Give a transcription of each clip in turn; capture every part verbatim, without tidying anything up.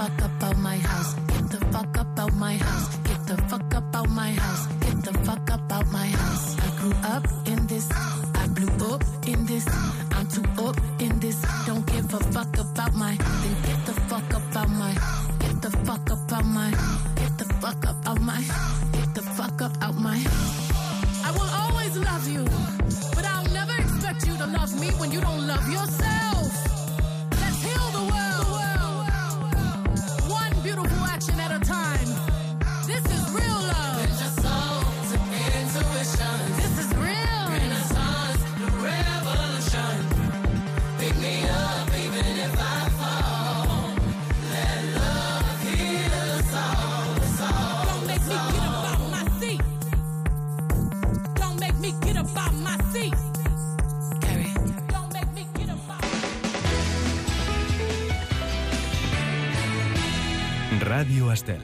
fuck up out my house. Get the fuck up out my house. Get the fuck up out my house. Get the fuck up out my house. I grew up in this. I blew up in this. I'm too up in this. Don't give a fuck about my. Then get the fuck up out my. Get the fuck up out my. Get the fuck up out my. Get the fuck up out my. I will always love you, but I'll never expect you to love me when you don't love yourself. Let's heal the world. One beautiful action at a time. This is real love. Bend your soul to intuition. This is real. Renaissance, the revolution. Pick me up even if I fall. Let love heal us all. Us all. Don't make me get up out my seat. Don't make me get up out my seat. Carry. Don't make me get up out. Ràdio Estel.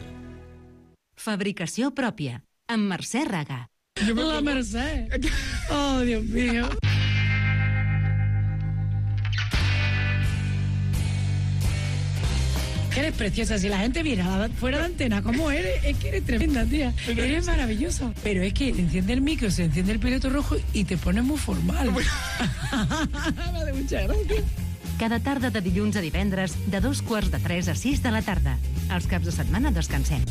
Fabricació pròpia, amb Mercè Raga. La Mercè. Oh, Dios mío. Que eres preciosa. Si la gente viera fuera de antena cómo eres, es que eres tremenda, tía. Eres maravillosa. Pero es que te enciende el micro, se enciende el piloto rojo y te pones muy formal. Me hace mucha gracia. Cada tarda de dilluns a divendres, de dos quarts de tres a sis de la tarda. Els caps de setmana descansem.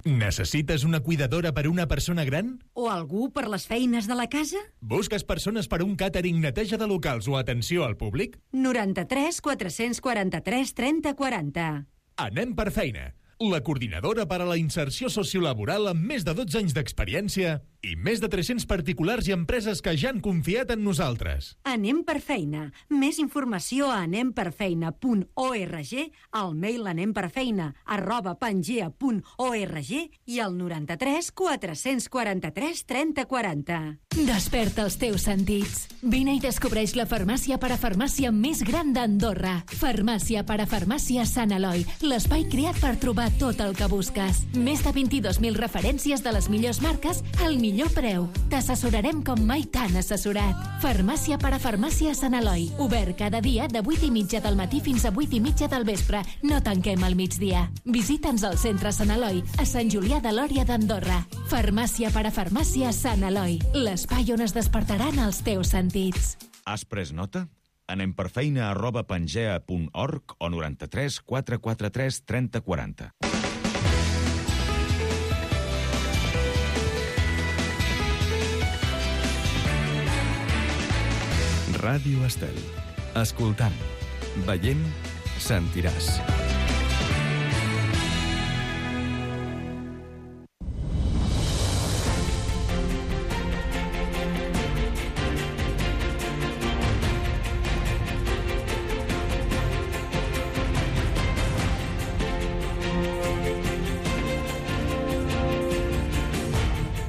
Necessites una cuidadora per una persona gran? O algú per les feines de la casa? Busques persones per un càtering, neteja de locals o atenció al públic? noranta-tres quatre-cents quaranta-tres trenta quaranta. Anem per feina. La coordinadora per a la inserció sociolaboral amb més de dotze anys d'experiència i més de tres-cents particulars i empreses que ja han confiat en nosaltres. Anem per feina. Més informació a anem per feina punt org, al mail anemperfeina arroba pangea punt org i al noranta-tres quatre-cents quaranta-tres trenta quaranta. Desperta els teus sentits. Vine i descobreix la farmàcia parafarmàcia més gran d'Andorra. Farmàcia parafarmàcia Sant Eloi, l'espai creat per trobar tot el que busques. Més de vint-i-dos mil referències de les millors marques al millor preu. T'assessorarem com mai t'han assessorat. Farmàcia parafarmàcia Sant Eloi. Obert cada dia de vuit i mitja del matí fins a vuit i mitja del vespre. No tanquem al migdia. Visita'ns al centre Sant Eloi, a Sant Julià de Lòria d'Andorra. Farmàcia parafarmàcia Sant Eloi. L'espai on es despertaran els teus sentits. Has pres nota? Anem per feina arroba pangea punt org o noranta-tres quatre quatre tres trenta quaranta. Ràdio Estel. Escoltant, veient, sentiràs.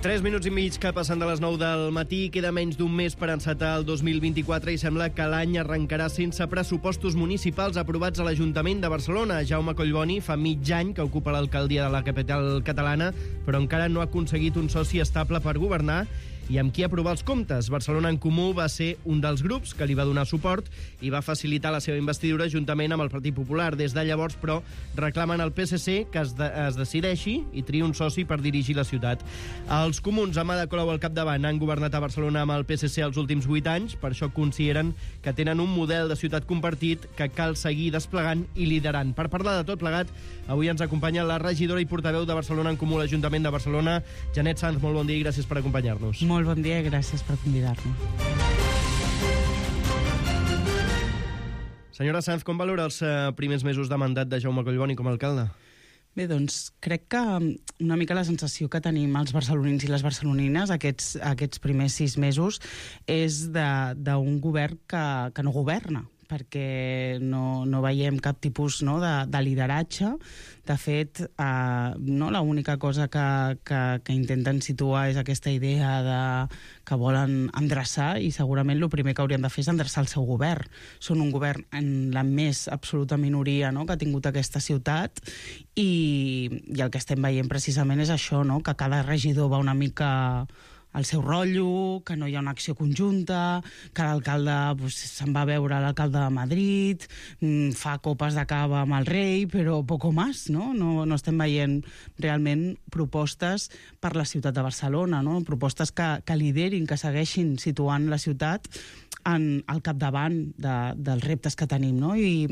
Tres minuts i mig que passen de les nou del matí. Queda menys d'un mes per encetar el dos mil vint-i-quatre i sembla que l'any arrencarà sense pressupostos municipals aprovats a l'Ajuntament de Barcelona. Jaume Collboni fa mig any que ocupa l'alcaldia de la capital catalana, però encara no ha aconseguit un soci estable per governar i amb qui aprovar els comptes. Barcelona en Comú va ser un dels grups que li va donar suport i va facilitar la seva investidura juntament amb el Partit Popular. Des de llavors, però, reclamen al P S C que es, de, es decideixi i triï un soci per dirigir la ciutat. Els comuns, amb Ada Colau al capdavant, han governat a Barcelona amb el P S C els últims vuit anys, per això consideren que tenen un model de ciutat compartit que cal seguir desplegant i liderant. Per parlar de tot plegat, avui ens acompanya la regidora i portaveu de Barcelona en Comú a l'Ajuntament de Barcelona, Janet Sanz. Molt bon dia i gràcies per acompanyar-nos. Molt bon dia i gràcies per convidar-nos. Senyora Sanz, com valora els uh, primers mesos de mandat de Jaume Collboni com a alcalde? Bé, doncs, crec que una mica la sensació que tenim els barcelonins i les barcelonines aquests, aquests primers sis mesos és d'un govern que, que no governa, perquè no, no veiem cap tipus, no, de, de lideratge. De fet, eh, no, l'única cosa que, que, que intenten situar és aquesta idea de, que volen endreçar, i segurament el primer que haurien de fer és endreçar el seu govern. Són un govern en la més absoluta minoria, no?, que ha tingut aquesta ciutat, i, i el que estem veient precisament és això, no?, que cada regidor va una mica el seu rotllo, que no hi ha una acció conjunta, que l'alcalde pues, se'n va a veure l'alcalde de Madrid, fa copes de cava amb el rei, però poco más, no? No, no estem veient realment propostes per la ciutat de Barcelona, no? Propostes que, que liderin, que segueixin situant la ciutat en, al capdavant de, dels reptes que tenim, no? I,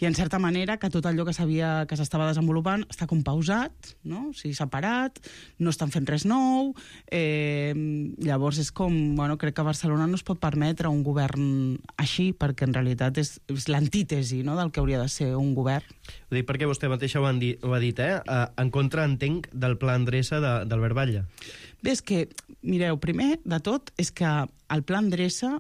i en certa manera que tot allò que sabia que s'estava desenvolupant està com pausat, no? O sigui, separat, no estan fent res nou, eh, llavors és com, bueno, crec que Barcelona no es pot permetre un govern així, perquè en realitat és, és l'antítesi, no?, del que hauria de ser un govern. Ho dic perquè vostè mateixa ho, dit, ho ha dit, eh? En contra, entenc, del pla Endreça d'Albert Batlle. Bé, és que, mireu, primer de tot és que el pla Endreça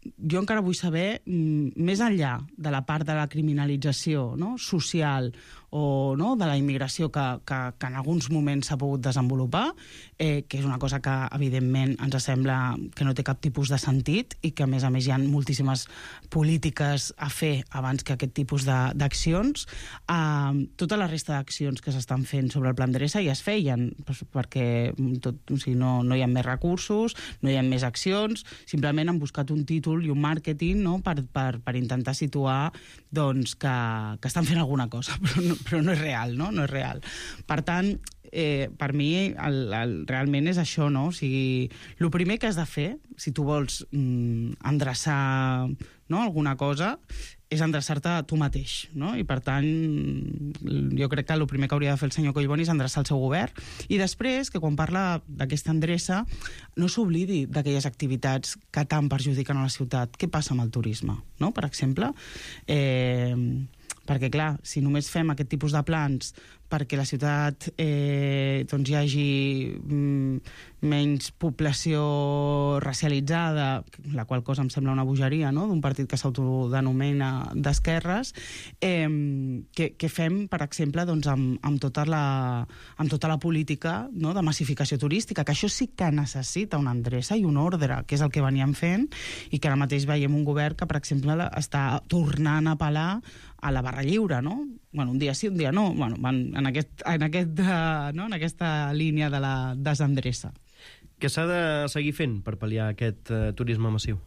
jo encara vull saber, més enllà de la part de la criminalització, no?, social o no, de la immigració que, que, que en alguns moments s'ha pogut desenvolupar, eh, que és una cosa que, evidentment, ens sembla que no té cap tipus de sentit i que, a més a més, hi ha moltíssimes polítiques a fer abans que aquest tipus d'accions. Eh, tota la resta d'accions que s'estan fent sobre el Pla Endreça ja es feien, perquè tot, o sigui, no, no hi ha més recursos, no hi ha més accions, simplement han buscat un títol i un màrqueting, no?, per, per, per intentar situar doncs, que, que estan fent alguna cosa, però no, però no és real, no? No és real. Per tant, eh, per mi, el, el, realment és això, no? O sigui, el primer que has de fer, si tu vols mm, endreçar, no?, alguna cosa, és endreçar-te a tu mateix, no? I per tant, jo crec que el primer que hauria de fer el senyor Collboni és endreçar el seu govern. I després, que quan parla d'aquesta endreça, no s'oblidi d'aquelles activitats que tant perjudiquen a la ciutat. Què passa amb el turisme, no?, per exemple? Eh, perquè, clar, si només fem aquest tipus de plans perquè la ciutat eh, doncs hi hagi mm, menys població racialitzada, la qual cosa em sembla una bogeria, no?, d'un partit que s'autodenomina d'esquerres, eh, que, que fem, per exemple, doncs, amb, amb, tota la, amb tota la política, no?, de massificació turística, que això sí que necessita una endreça i un ordre, que és el que veníem fent, i que ara mateix veiem un govern que, per exemple, està tornant a apel·lar a la barra lliure, no? Bueno, un dia sí, un dia no. Bueno, van en, aquest, en, aquest, uh, no? en aquesta línia de la desendreça. Què s'ha de seguir fent per pal·liar aquest uh, turisme massiu?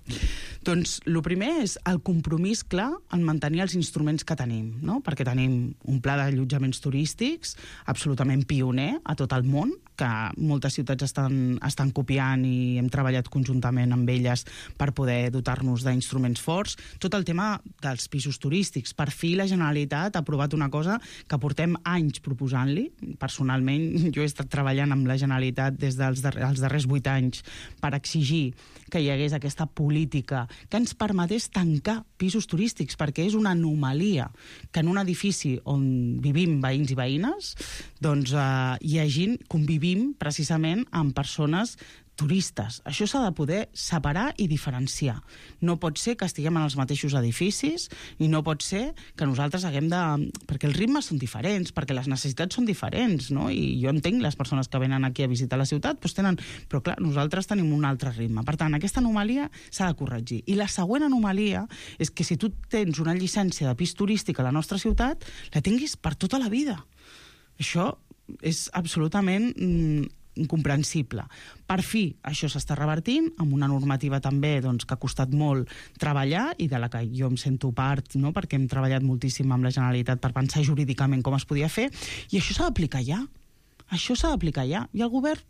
Doncs el primer és el compromís clar en mantenir els instruments que tenim, no? Perquè tenim un pla d'allotjaments turístics absolutament pioner a tot el món, que moltes ciutats estan, estan copiant i hem treballat conjuntament amb elles per poder dotar-nos d'instruments forts. Tot el tema dels pisos turístics. Per fi la Generalitat ha aprovat una cosa que portem anys proposant-li. Personalment, jo he estat treballant amb la Generalitat des dels dar- els darrers vuit anys per exigir que hi hagués aquesta política que ens permetés tancar pisos turístics, perquè és una anomalia que en un edifici on vivim veïns i veïnes doncs eh, hi hagi, convivim precisament amb persones turistes. Això s'ha de poder separar i diferenciar. No pot ser que estiguem en els mateixos edificis i no pot ser que nosaltres haguem de... Perquè els ritmes són diferents, perquè les necessitats són diferents, no? I jo entenc les persones que venen aquí a visitar la ciutat, doncs tenen... Però clar, nosaltres tenim un altre ritme. Per tant, aquesta anomalia s'ha de corregir. I la següent anomalia és que si tu tens una llicència de pis turístic a la nostra ciutat, la tinguis per tota la vida. Això és absolutament... Mm, incomprensible. Per fi, això s'està revertint amb una normativa també doncs, que ha costat molt treballar i de la que jo em sento part, no?, perquè hem treballat moltíssim amb la Generalitat per pensar jurídicament com es podia fer, i això s'ha d'aplicar ja. Això s'ha d'aplicar ja. I el govern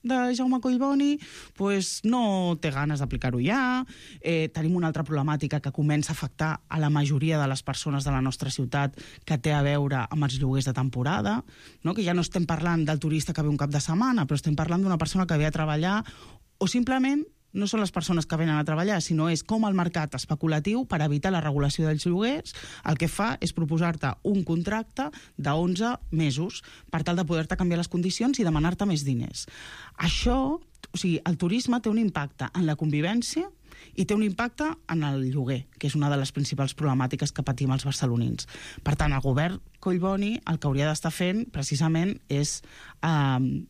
de Jaume Collboni pues, no té ganes d'aplicar-ho ja. Eh, tenim una altra problemàtica que comença a afectar a la majoria de les persones de la nostra ciutat, que té a veure amb els lloguers de temporada, no? Que ja no estem parlant del turista que ve un cap de setmana, però estem parlant d'una persona que ve a treballar, o simplement no són les persones que venen a treballar, sinó és com el mercat especulatiu, per evitar la regulació dels lloguers, el que fa és proposar-te un contracte d'onze mesos per tal de poder-te canviar les condicions i demanar-te més diners. Això, o sigui, el turisme té un impacte en la convivència i té un impacte en el lloguer, que és una de les principals problemàtiques que patim els barcelonins. Per tant, el govern Collboni el que hauria d'estar fent, precisament, és... Eh,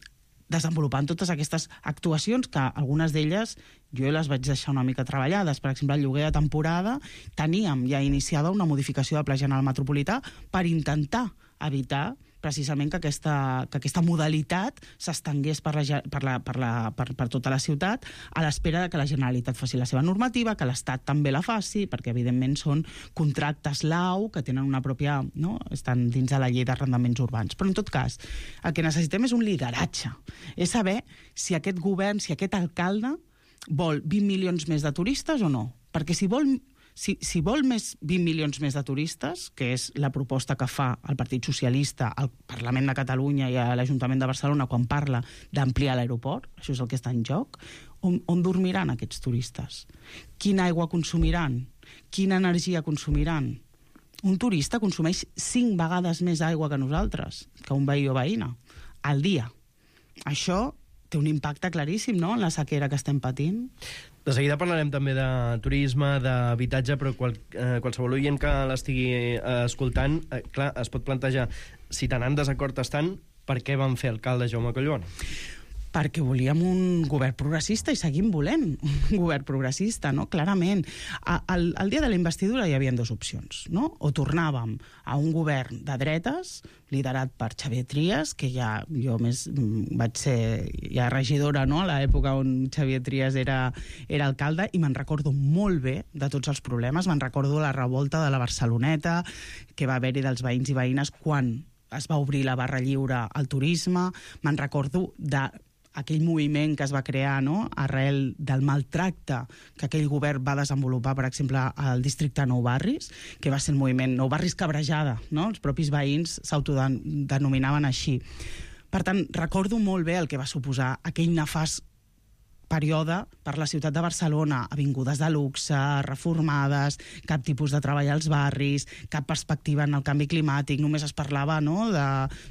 desenvolupant totes aquestes actuacions que algunes d'elles jo les vaig deixar una mica treballades. Per exemple, el lloguer de temporada teníem ja iniciada una modificació del Pla General Metropolità per intentar evitar precisament que aquesta, que aquesta modalitat s'estengués per, la, per, la, per, la, per, per tota la ciutat, a l'espera de que la Generalitat faci la seva normativa, que l'Estat també la faci, perquè evidentment són contractes L A U que tenen una pròpia... No? Estan dins de la llei d'arrendaments urbans. Però en tot cas, el que necessitem és un lideratge. És saber si aquest govern, si aquest alcalde vol vint milions més de turistes o no. Perquè si vol... Si, si vol més vint milions més de turistes, que és la proposta que fa el Partit Socialista al Parlament de Catalunya i a l'Ajuntament de Barcelona quan parla d'ampliar l'aeroport, això és el que està en joc, on, on dormiran aquests turistes? Quina aigua consumiran? Quina energia consumiran? Un turista consumeix cinc vegades més aigua que nosaltres, que un veí o veïna, al dia. Això té un impacte claríssim, no?, en la sequera que estem patint. De seguida parlarem també de turisme, d'habitatge, però qual, eh, qualsevol oient que l'estigui eh, escoltant, eh, clar, es pot plantejar, si tan en desacord estan, per què van fer alcalde Jaume Collboni? Perquè volíem un govern progressista i seguim volent un govern progressista, no? Clarament. Al, al dia de la investidura hi havia dues opcions, no? O tornàvem a un govern de dretes, liderat per Xavier Trias, que ja jo més vaig ser ja regidora, no?, a l'època on Xavier Trias era, era alcalde, i me'n recordo molt bé de tots els problemes. Me'n recordo la revolta de la Barceloneta, que va haver-hi dels veïns i veïnes quan es va obrir la barra lliure al turisme. Me'n recordo de aquell moviment que es va crear, no?, arrel del maltracte que aquell govern va desenvolupar, per exemple, al districte Nou Barris, que va ser el moviment Nou Barris Cabrejada, no?, els propis veïns s'autodenominaven així. Per tant, recordo molt bé el que va suposar aquell nefast període per la ciutat de Barcelona, avingudes de luxe, reformades, cap tipus de treball als barris, cap perspectiva en el canvi climàtic, només es parlava, no?, de,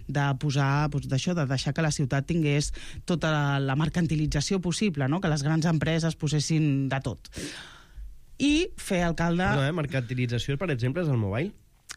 de posar, doncs, d'això, de deixar que la ciutat tingués tota la mercantilització possible, no?, que les grans empreses posessin de tot. I fer alcalde... Perdó, eh? Mercantilització, per exemple, és el mobile?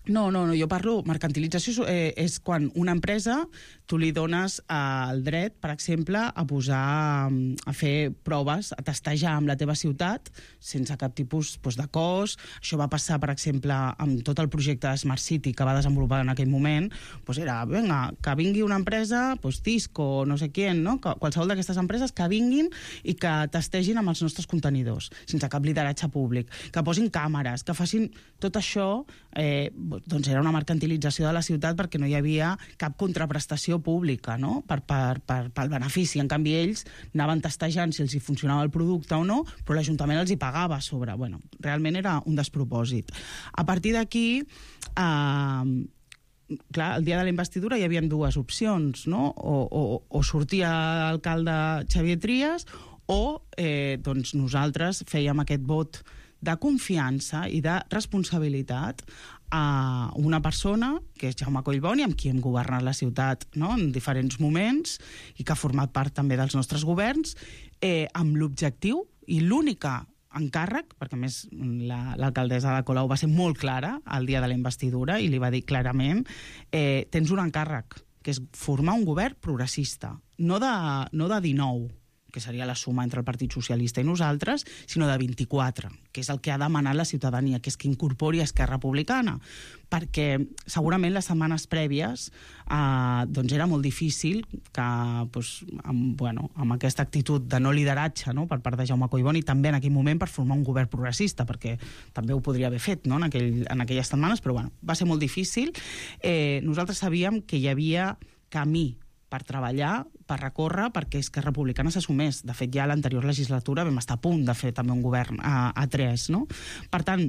No, no, no, jo parlo... Mercantilització eh, és quan una empresa tu li dones eh, el dret, per exemple, a posar, a fer proves, a testejar amb la teva ciutat sense cap tipus doncs, de cost. Això va passar, per exemple, amb tot el projecte de Smart City que va desenvolupar en aquell moment. Doncs era, vinga, que vingui una empresa, doncs Tisco, no sé qui, no? Qualsevol d'aquestes empreses que vinguin i que testegin amb els nostres contenidors, sense cap lideratge públic, que posin càmeres, que facin tot això. Eh, doncs era una mercantilització de la ciutat perquè no hi havia cap contraprestació pública, no?, per, per, per, pel benefici. En canvi, ells anaven testejant si els hi funcionava el producte o no, però l'Ajuntament els hi pagava a sobre. Bueno, realment era un despropòsit. A partir d'aquí, eh, clar, el dia de la investidura hi havia dues opcions, no?, o, o, o sortia alcalde Xavier Trias o eh, doncs nosaltres fèiem aquest vot de confiança i de responsabilitat a una persona, que és Jaume Collboni, amb qui hem governat la ciutat, no?, en diferents moments, i que ha format part també dels nostres governs, eh, amb l'objectiu i l'única encàrrec, perquè a més l'alcaldessa de Colau va ser molt clara el dia de la investidura i li va dir clarament, eh, tens un encàrrec, que és formar un govern progressista, no de, no de dinou, que seria la suma entre el Partit Socialista i nosaltres, sinó de vint-i-quatre, que és el que ha demanat la ciutadania, que és que incorpori Esquerra Republicana, perquè segurament les setmanes prèvies eh, doncs era molt difícil que, doncs, amb, bueno, amb aquesta actitud de no lideratge, no?, per part de Jaume Collboni, també en aquell moment per formar un govern progressista, perquè també ho podria haver fet, no?, en, aquell, en aquelles setmanes, però bueno, va ser molt difícil. Eh, nosaltres sabíem que hi havia camí per treballar, per recórrer, perquè Esquerra Republicana s'assumés. De fet, ja a l'anterior legislatura vam estar a punt de fer també un govern a, a tres, no? Per tant,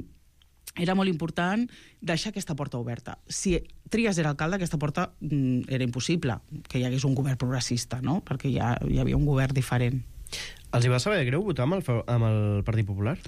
era molt important deixar aquesta porta oberta. Si Trias era alcalde, aquesta porta mm, era impossible que hi hagués un govern progressista, no?, perquè ja hi havia un govern diferent. Els hi va saber greu votar amb el, amb el Partit Popular?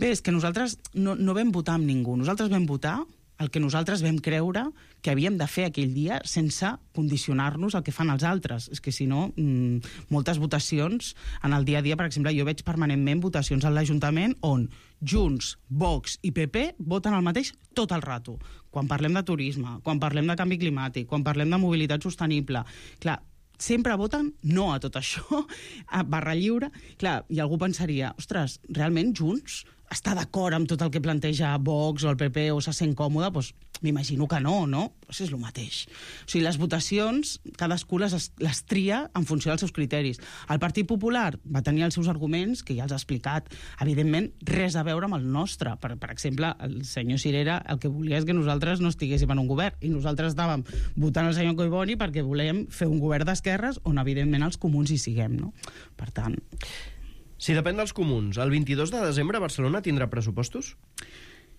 Bé, és que nosaltres no, no vam votar amb ningú. Nosaltres vam votar el que nosaltres vam creure que havíem de fer aquell dia sense condicionar-nos al que fan els altres. És que, si no, mmm, moltes votacions en el dia a dia, per exemple, jo veig permanentment votacions a l'Ajuntament on Junts, Vox i P P voten el mateix tot el rato. Quan parlem de turisme, quan parlem de canvi climàtic, quan parlem de mobilitat sostenible... Clar, sempre voten no a tot això, a barra lliure. Clar, i algú pensaria, ostres, realment Junts està d'acord amb tot el que planteja Vox o el P P o se sent còmode, doncs m'imagino que no, no? Doncs és el mateix. O sigui, les votacions, cadascú les, les tria en funció dels seus criteris. El Partit Popular va tenir els seus arguments, que ja els ha explicat, evidentment, res a veure amb el nostre. Per, per exemple, el senyor Cirera el que volia és que nosaltres no estiguéssim en un govern, i nosaltres estàvem votant el senyor Collboni perquè volem fer un govern d'esquerres on, evidentment, els comuns hi siguem, no? Per tant... Si depèn dels comuns, el vint-i-dos de desembre Barcelona tindrà pressupostos?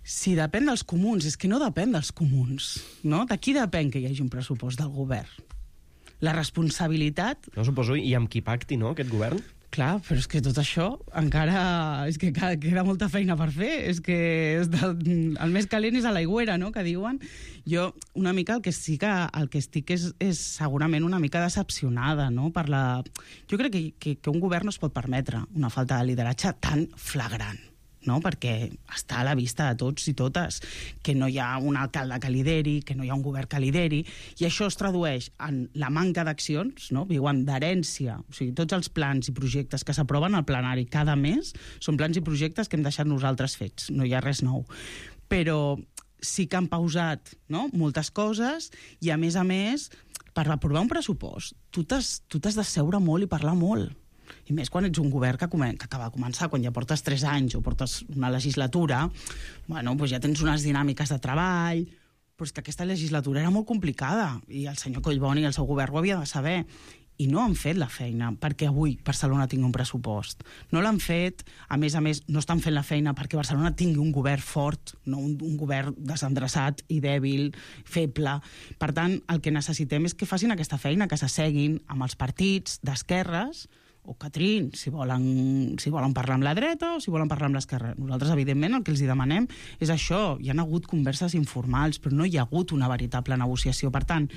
Si depèn dels comuns, és que no depèn dels comuns, no? De qui depèn que hi hagi un pressupost del govern? La responsabilitat... No suposo, i amb qui pacti, no, aquest govern? Clar, però és que tot això encara... És que queda molta feina per fer. És que és del... el més calent és a l'aigüera, no?, que diuen. Jo, una mica, el que sí que el que estic és, és segurament una mica decepcionada, no?, per la... Jo crec que, que, que un govern no es pot permetre una falta de lideratge tan flagrant, no? Perquè està a la vista de tots i totes que no hi ha un alcalde que lideri, que no hi ha un govern que lideri, i això es tradueix en la manca d'accions, no? Viuen d'herència. O sigui, tots els plans i projectes que s'aproven al plenari cada mes són plans i projectes que hem deixat nosaltres fets, no hi ha res nou. Però sí que han pausat, no?, moltes coses, i a més a més, per aprovar un pressupost, tu t'has tu t'has de seure molt i parlar molt. I més quan ets un govern que, comen que acaba de començar, quan ja portes tres anys o portes una legislatura, bueno, doncs ja tens unes dinàmiques de treball, però és que aquesta legislatura era molt complicada i el senyor Collboni i el seu govern ho havia de saber. I no han fet la feina perquè avui Barcelona tingui un pressupost. No l'han fet, a més a més, no estan fent la feina perquè Barcelona tingui un govern fort, no un, un govern desendreçat i dèbil, feble. Per tant, el que necessitem és que facin aquesta feina, que s'asseguin amb els partits d'esquerres, o Catrín, si volen, si volen parlar amb la dreta o si volen parlar amb l'esquerra. Nosaltres, evidentment, el que els demanem és això. Hi ha hagut converses informals, però no hi ha hagut una veritable negociació. Per tant,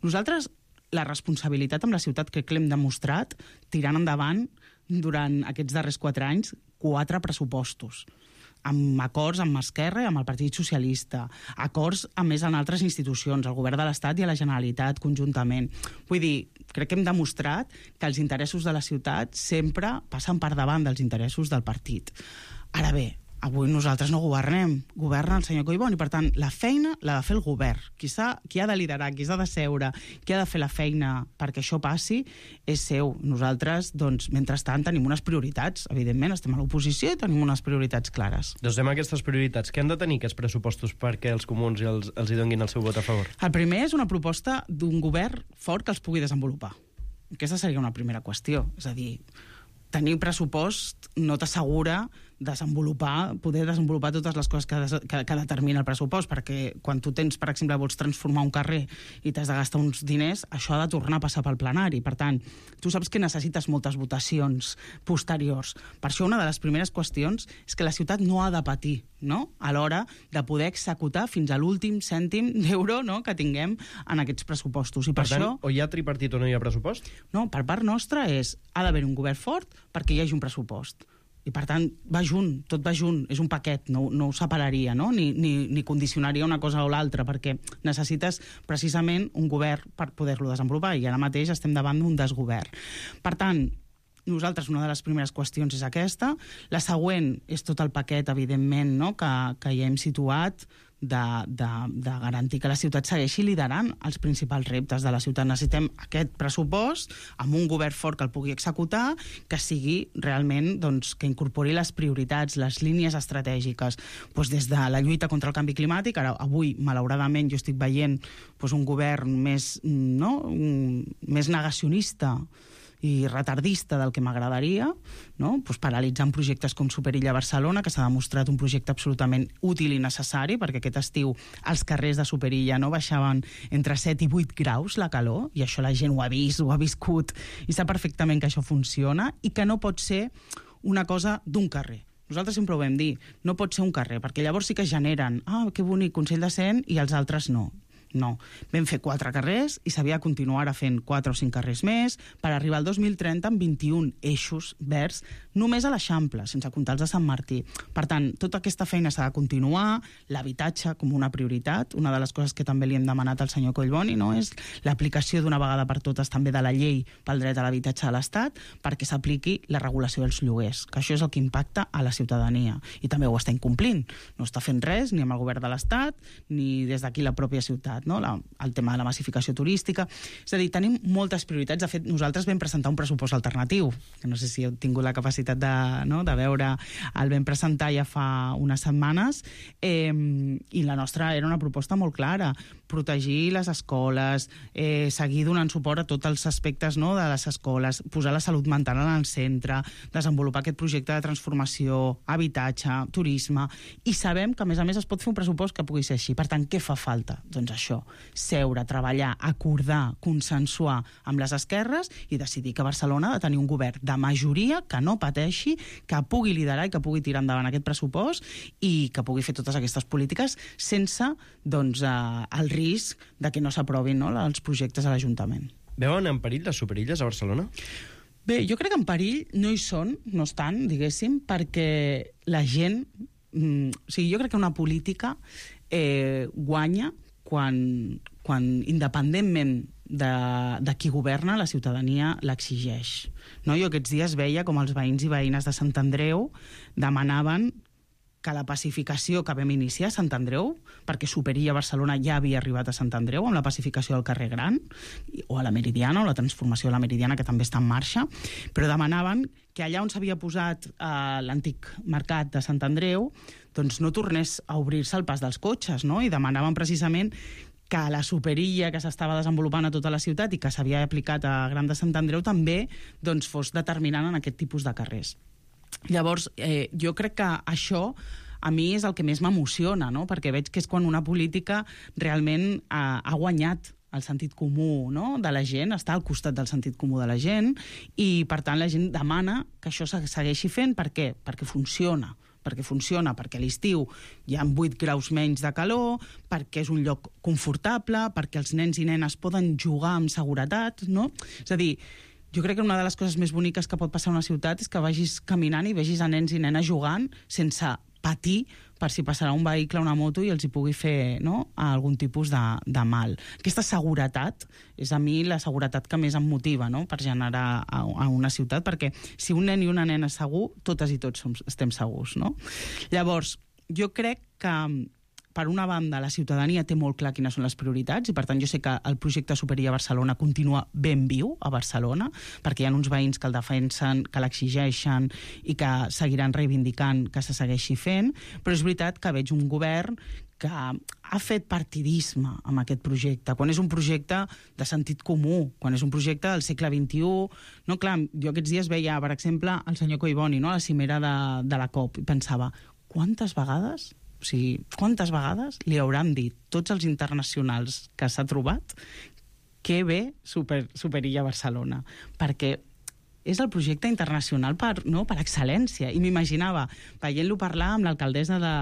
nosaltres la responsabilitat amb la ciutat crec que l'hem demostrat tirant endavant durant aquests darrers quatre anys quatre pressupostos, amb acords amb Esquerra i amb el Partit Socialista, acords a més en altres institucions, el Govern de l'Estat i a la Generalitat conjuntament. Vull dir, crec que hem demostrat que els interessos de la ciutat sempre passen per davant dels interessos del partit. Ara bé, avui nosaltres no governem, governa el senyor Collboni, per tant, la feina l'ha de fer el govern. Qui, ha, qui ha de liderar, qui s'ha de seure, qui ha de fer la feina perquè això passi, és seu. Nosaltres, doncs, mentrestant, tenim unes prioritats. Evidentment, estem a l'oposició i tenim unes prioritats clares. Doncs anem a aquestes prioritats. Què han de tenir aquests pressupostos perquè els comuns els, els hi donguin el seu vot a favor? El primer és una proposta d'un govern fort que els pugui desenvolupar. Aquesta seria una primera qüestió. És a dir, tenir pressupost no t'assegura desenvolupar, poder desenvolupar totes les coses que, que, que determina el pressupost, perquè quan tu tens, per exemple, vols transformar un carrer i t'has de gastar uns diners, això ha de tornar a passar pel plenari. Per tant, tu saps que necessites moltes votacions posteriors. Per això una de les primeres qüestions és que la ciutat no ha de patir, no?, a l'hora de poder executar fins a l'últim cèntim d'euro, no?, que tinguem en aquests pressupostos. I per, per tant, això, o hi ha tripartit o no hi ha pressupost? No, per part nostra és, ha d'haver un govern fort perquè hi hagi un pressupost. I, per tant, va junt, tot va junt, és un paquet, no, no ho separaria, no? Ni, ni, ni condicionaria una cosa o l'altra, perquè necessites precisament un govern per poder-lo desenvolupar, i ara mateix estem davant d'un desgovern. Per tant, nosaltres una de les primeres qüestions és aquesta. La següent és tot el paquet, evidentment, no?, que, que ja hem situat, de, de, de garantir que la ciutat segueixi liderant els principals reptes de la ciutat. Necessitem aquest pressupost amb un govern fort que el pugui executar, que sigui realment, doncs, que incorpori les prioritats, les línies estratègiques, doncs, des de la lluita contra el canvi climàtic. Ara, avui, malauradament, jo estic veient doncs, un govern més, no?, més negacionista i retardista del que m'agradaria, no?, pues paralitzant projectes com Superilla Barcelona, que s'ha demostrat un projecte absolutament útil i necessari, perquè aquest estiu els carrers de Superilla no baixaven entre set i vuit graus la calor, i això la gent ho ha vist, ho ha viscut, i sap perfectament que això funciona, i que no pot ser una cosa d'un carrer. Nosaltres sempre ho vam dir, no pot ser un carrer, perquè llavors sí que generen, ah, que bonic, Consell de Cent, i els altres no. No. Vam fer quatre carrers i s'havia de continuar ara fent quatre o cinc carrers més per arribar al dos mil trenta amb vint-i-un eixos verds només a l'Eixample, sense comptar els de Sant Martí. Per tant, tota aquesta feina s'ha de continuar, l'habitatge com una prioritat. Una de les coses que també li hem demanat al senyor Collboni, no, és l'aplicació d'una vegada per totes també de la llei pel dret a l'habitatge de l'Estat perquè s'apliqui la regulació dels lloguers, que això és el que impacta a la ciutadania. I també ho està incomplint. No està fent res ni amb el govern de l'Estat ni des d'aquí la pròpia ciutat. No? La, el tema de la massificació turística. És a dir, tenim moltes prioritats. De fet, nosaltres vam presentar un pressupost alternatiu, que no sé si heu tingut la capacitat de, no, de veure, el vam presentar ja fa unes setmanes, eh, i la nostra era una proposta molt clara: protegir les escoles, eh, seguir donant suport a tots els aspectes, no, de les escoles, posar la salut mental en el centre, desenvolupar aquest projecte de transformació, habitatge, turisme, i sabem que, a més a més, es pot fer un pressupost que pugui ser així. Per tant, què fa falta? Doncs això, seure, treballar, acordar, consensuar amb les esquerres i decidir que Barcelona ha de tenir un govern de majoria que no pateixi, que pugui liderar i que pugui tirar endavant aquest pressupost i que pugui fer totes aquestes polítiques sense, doncs, eh, el risc de que no s'aprovin, no, els projectes a l'Ajuntament. Veuen en perill les superilles a Barcelona? Bé, jo crec que en perill no hi són, no estan, diguéssim, perquè la gent... Mm, o sigui, jo crec que una política eh, guanya quan, quan independentment de, de qui governa, la ciutadania l'exigeix. No? Jo aquests dies veia com els veïns i veïnes de Sant Andreu demanaven que la pacificació que vam iniciar a Sant Andreu, perquè Superilla Barcelona ja havia arribat a Sant Andreu amb la pacificació del carrer Gran, o a la Meridiana, o la transformació de la Meridiana, que també està en marxa, però demanaven que allà on s'havia posat eh, l'antic mercat de Sant Andreu, doncs no tornés a obrir-se el pas dels cotxes, no? I demanaven precisament que la superilla que s'estava desenvolupant a tota la ciutat i que s'havia aplicat a Gran de Sant Andreu també, doncs, fos determinant en aquest tipus de carrers. Llavors, eh, jo crec que això a mi és el que més m'emociona, no? Perquè veig que és quan una política realment ha, ha guanyat el sentit comú, no, de la gent, està al costat del sentit comú de la gent, i per tant la gent demana que això se segueixi fent. Per què? Perquè funciona. perquè funciona, perquè a l'estiu hi ha vuit graus menys de calor, perquè és un lloc confortable, perquè els nens i nenes poden jugar amb seguretat, no? És a dir, jo crec que una de les coses més boniques que pot passar a una ciutat és que vagis caminant i vegis a nens i nenes jugant sense patir per si passarà un vehicle o una moto i els hi pugui fer, no, algun tipus de, de mal. Aquesta seguretat és a mi la seguretat que més em motiva, no, per generar a, a una ciutat, perquè si un nen i una nena és segur, totes i tots som, estem segurs, no? Llavors, jo crec que per una banda, la ciutadania té molt clar quines són les prioritats i, per tant, jo sé que el projecte Superilla Barcelona continua ben viu a Barcelona, perquè hi ha uns veïns que el defensen, que l'exigeixen i que seguiran reivindicant que se segueixi fent, però és veritat que veig un govern que ha fet partidisme amb aquest projecte, quan és un projecte de sentit comú, quan és un projecte del segle vint-i-u. No, clar, jo aquests dies veia, per exemple, el senyor Collboni, no, a la cimera de, de la COP, i pensava, quantes vegades... O sigui, quantes vegades li hauran dit tots els internacionals que s'ha trobat que ve super, Superilla Barcelona? Perquè és el projecte internacional per, no, per excel·lència. I m'imaginava veient-lo parlar amb l'alcaldessa de,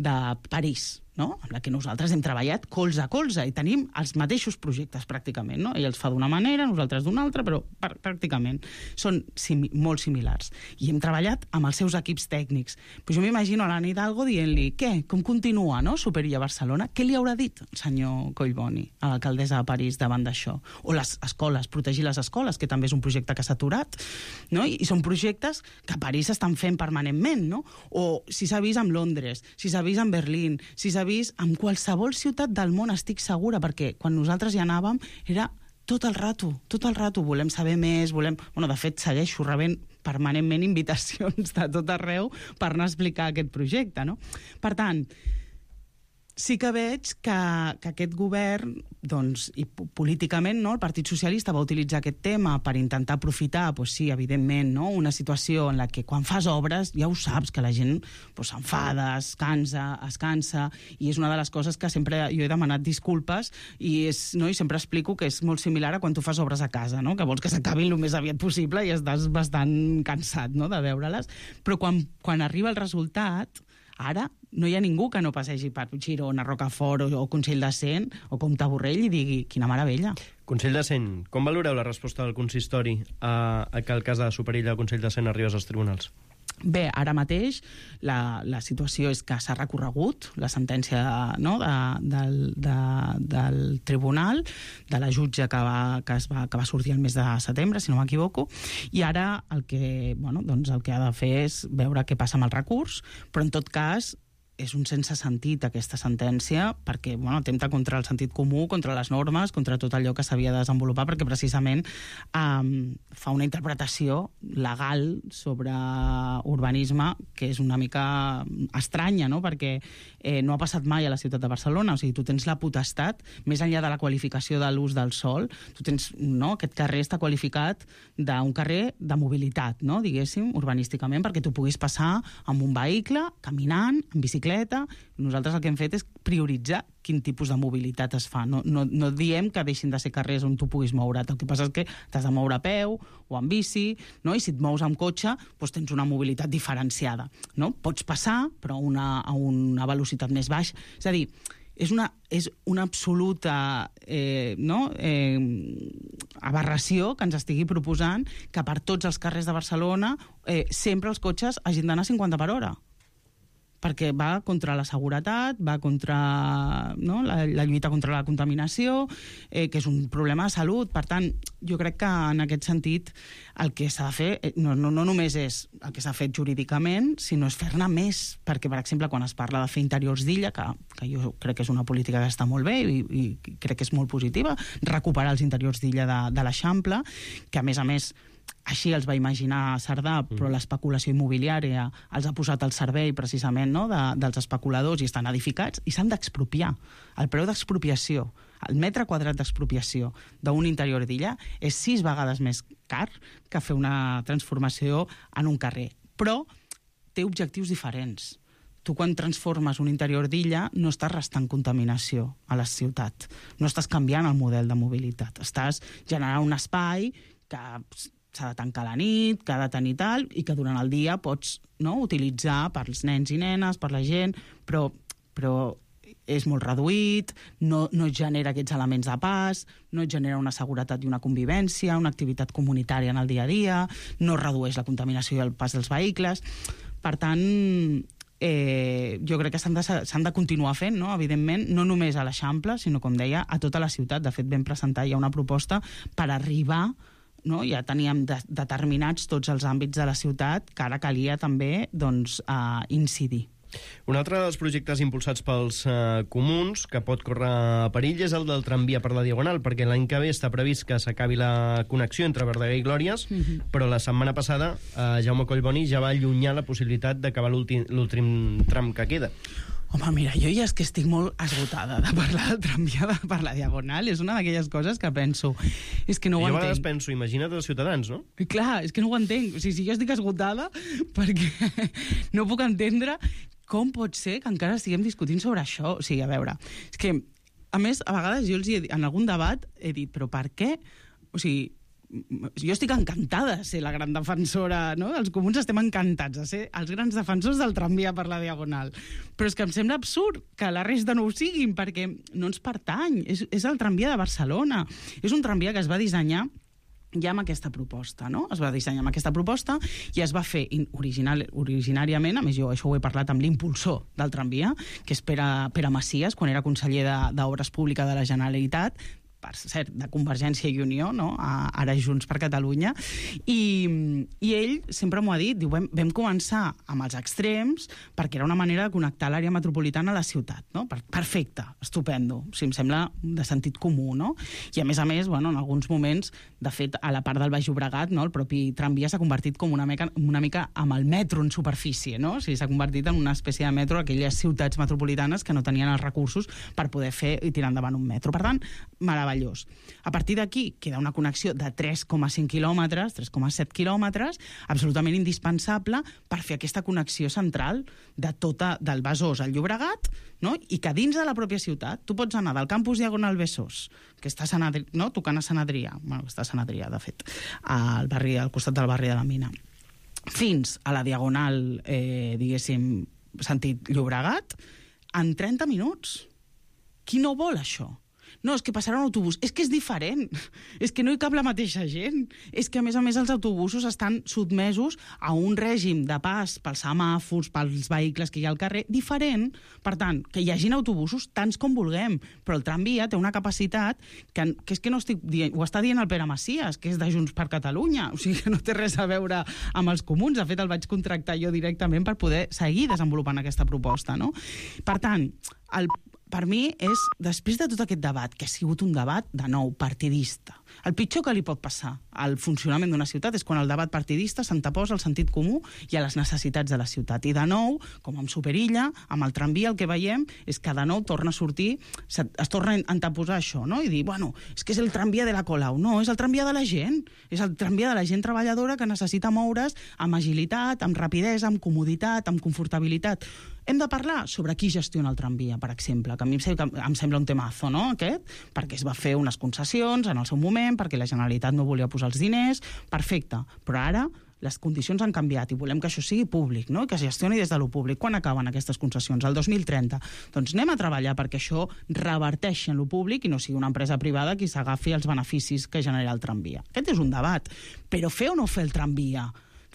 de París, no? Amb la que nosaltres hem treballat colze a colze i tenim els mateixos projectes pràcticament, no? Ell els fa d'una manera, nosaltres d'una altra, però pr pràcticament són simi molt similars. I hem treballat amb els seus equips tècnics. Però jo m'imagino a l'Anna Hidalgo dient-li, què, com continua, no, Superilla Barcelona? Què li haurà dit el senyor Collboni a l'alcaldessa de París davant d'això? O les escoles, protegir les escoles, que també és un projecte que s'ha aturat, no? I, i són projectes que a París s'estan fent permanentment, no? O si s'ha vist amb Londres, si s'ha vist amb Berlín, si s'ha vist en qualsevol ciutat del món, estic segura, perquè quan nosaltres hi anàvem era tot el rato, tot el rato, volem saber més, volem... Bueno, de fet, segueixo rebent permanentment invitacions de tot arreu per anar a explicar aquest projecte, no? Per tant, sí que veig que, que aquest govern, doncs, i políticament, no, el Partit Socialista va utilitzar aquest tema per intentar aprofitar, doncs sí, evidentment, no, una situació en la que quan fas obres ja ho saps, que la gent doncs, s'enfada, es cansa, es cansa, i és una de les coses que sempre jo he demanat disculpes i, és, no, i sempre explico que és molt similar a quan tu fas obres a casa, no, que vols que s'acabin el més aviat possible i estàs bastant cansat, no, de veure-les, però quan, quan arriba el resultat, Ara no hi ha ningú que no passegi per Girona, Rocafort o, o Consell de Cent o Comte Borrell i digui quina meravella. Consell de Cent, com valoreu la resposta del consistori a, a que el cas de Superilla del Consell de Cent arribés als tribunals? Bé, ara mateix la, la situació és que s'ha recorregut la sentència, no, de, del, de, del tribunal, de la jutge que va, que, es va, que va sortir el mes de setembre, si no m'equivoco, i ara el que, bueno, doncs el que ha de fer és veure què passa amb el recurs, però en tot cas és un sense sentit aquesta sentència perquè bueno, atempta contra el sentit comú, contra les normes, contra tot allò que s'havia de desenvolupar, perquè precisament um, fa una interpretació legal sobre urbanisme que és una mica estranya, no? Perquè eh, no ha passat mai a la ciutat de Barcelona, o sigui, tu tens la potestat, més enllà de la qualificació de l'ús del sòl, tu tens, no? Aquest carrer està qualificat d'un carrer de mobilitat, no? Diguéssim, urbanísticament, perquè tu puguis passar amb un vehicle, caminant, en bicicleta. Nosaltres el que hem fet és prioritzar quin tipus de mobilitat es fa. No, no, no diem que deixin de ser carrers on tu puguis moure't. El que passa és que t'has de moure a peu o en bici, no? I si et mous amb cotxe, doncs tens una mobilitat diferenciada. No? Pots passar, però una, a una velocitat més baixa. És a dir, és una, és una absoluta eh, no? eh, aberració que ens estigui proposant que per tots els carrers de Barcelona eh, sempre els cotxes hagin d'anar a cinquanta per hora. Perquè va contra la seguretat, va contra no? la, la lluita contra la contaminació, eh, que és un problema de salut. Per tant, jo crec que en aquest sentit el que s'ha de fer no, no, no només és el que s'ha fet jurídicament, sinó és fer-ne més. Perquè, per exemple, quan es parla de fer interiors d'illa, que, que jo crec que és una política que està molt bé i, i crec que és molt positiva, recuperar els interiors d'illa de, de l'Eixample, que a més a més així els va imaginar Cerdà, però l'especulació immobiliària els ha posat al servei precisament no, de, dels especuladors i estan edificats i s'han d'expropiar. El preu d'expropiació, el metre quadrat d'expropiació d'un interior d'illa és sis vegades més car que fer una transformació en un carrer. Però té objectius diferents. Tu quan transformes un interior d'illa no estàs restant contaminació a la ciutat, no estàs canviant el model de mobilitat, estàs generant un espai que s'ha de tancar a la nit, que ha de tenir tal, i que durant el dia pots no, utilitzar per als nens i nenes, per la gent, però, però és molt reduït, no, no genera aquests elements de pas, no genera una seguretat i una convivència, una activitat comunitària en el dia a dia, no redueix la contaminació i el pas dels vehicles. Per tant, eh, jo crec que s'han de, s'han de continuar fent, no? Evidentment, no només a l'Eixample, sinó, com deia, a tota la ciutat. De fet, vam presentar ja una proposta per arribar no? Ja teníem de, determinats tots els àmbits de la ciutat que ara calia també doncs, uh, incidir. Un altre dels projectes impulsats pels uh, comuns que pot córrer perill és el del tramvia per la Diagonal, perquè l'any que ve està previst que s'acabi la connexió entre Verdaguer i Glòries, mm-hmm. però la setmana passada uh, Jaume Collboni ja va allunyar la possibilitat d'acabar l'últim tram que queda. Home, mira, jo ja és que estic molt esgotada de parlar del tramvia per la Diagonal. És una d'aquelles coses que penso... És que no ho jo entenc. Jo a vegades penso, imagina't els ciutadans, no? I clar, és que no ho entenc. O sigui, si jo estic esgotada perquè no puc entendre com pot ser que encara estiguem discutint sobre això. O sigui, a veure, és que, a més, a vegades jo els he dit, en algun debat he dit, però per què? O sigui, jo estic encantada de ser la gran defensora, no? Els comuns estem encantats de ser els grans defensors del tramvia per la Diagonal. Però és que em sembla absurd que la resta no ho siguin, perquè no ens pertany. És, és el tramvia de Barcelona. És un tramvia que es va dissenyar ja amb aquesta proposta, no? Es va dissenyar amb aquesta proposta i es va fer original, originàriament, a més jo això ho he parlat amb l'impulsor del tramvia, que és Pere, Pere Macias, quan era conseller d'Obres Públiques de la Generalitat, per cert, de Convergència i Unió, no? Ara Junts per Catalunya, i, i ell sempre m'ho ha dit, diu, vam, vam començar amb els extrems perquè era una manera de connectar l'àrea metropolitana a la ciutat, no? Perfecte, estupendo, o sigui, em sembla de sentit comú, no? I a més a més, bueno, en alguns moments, de fet, a la part del Baix Llobregat, no? El propi tramvia s'ha convertit com una mica, una mica amb el metro en superfície, no? O sigui, s'ha convertit en una espècie de metro a aquelles ciutats metropolitanes que no tenien els recursos per poder fer i tirar endavant un metro. Per tant, meravellós. A partir d'aquí queda una connexió de tres coma cinc quilòmetres, tres coma set quilòmetres, absolutament indispensable per fer aquesta connexió central de tota, del Besòs al Llobregat, no? I que dins de la pròpia ciutat tu pots anar del campus Diagonal Besòs, que està a Sant Adrià, no? Tocant a Sant Adrià, bueno, està a Sant Adrià, de fet, al, barri, al costat del barri de la Mina, fins a la Diagonal, eh, diguéssim, sentit Llobregat, en trenta minuts. Qui no vol això? No, és que passarà un autobús. És que és diferent. És que no hi cap la mateixa gent. És que, a més a més, els autobusos estan sotmesos a un règim de pas pels semàfors, pels vehicles que hi ha al carrer, diferent. Per tant, que hi hagin autobusos tants com vulguem, però el tramvia té una capacitat que, que és que no estic dient, ho està dient el Pere Macias, que és de Junts per Catalunya, o sigui que no té res a veure amb els comuns. De fet, el vaig contractar jo directament per poder seguir desenvolupant aquesta proposta, no? Per tant, el per mi és, després de tot aquest debat, que ha sigut un debat, de nou, partidista. El pitjor que li pot passar al funcionament d'una ciutat és quan el debat partidista s'anteposa al sentit comú i a les necessitats de la ciutat. I de nou, com amb Superilla, amb el tramvia, el que veiem és que de nou torna a sortir, es torna a anteposar això, no? I dir, bueno, és que és el tramvia de la Colau. No, és el tramvia de la gent. És el tramvia de la gent treballadora que necessita moure's amb agilitat, amb rapidesa, amb comoditat, amb confortabilitat. Hem de parlar sobre qui gestiona el tramvia, per exemple, que a mi em sembla un temazo, no?, aquest, perquè es va fer unes concessions en el seu moment, perquè la Generalitat no volia posar els diners, perfecte, però ara les condicions han canviat i volem que això sigui públic, no?, que es gestioni des de lo públic. Quan acaben aquestes concessions? El dos mil trenta. Doncs anem a treballar perquè això reverteixi en lo públic i no sigui una empresa privada qui s'agafi els beneficis que genera el tramvia. Aquest és un debat. Però fer o no fer el tramvia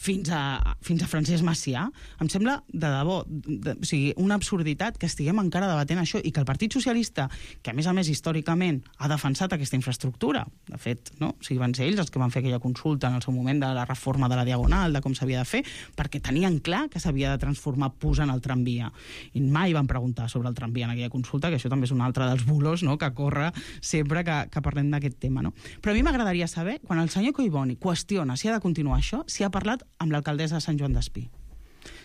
fins a, fins a Francesc Macià, em sembla de debò, de, o sigui, una absurditat que estiguem encara debatent això i que el Partit Socialista, que a més a més històricament ha defensat aquesta infraestructura, de fet, no? O sigui, van ser ells els que van fer aquella consulta en el seu moment de la reforma de la Diagonal, de com s'havia de fer, perquè tenien clar que s'havia de transformar posant el tramvia. I mai van preguntar sobre el tramvia en aquella consulta, que això també és un altre dels bulos, no?, que corre sempre que, que parlem d'aquest tema, no? Però a mi m'agradaria saber, quan el senyor Collboni qüestiona si ha de continuar això, si ha parlat amb l'alcaldessa de Sant Joan d'Espí.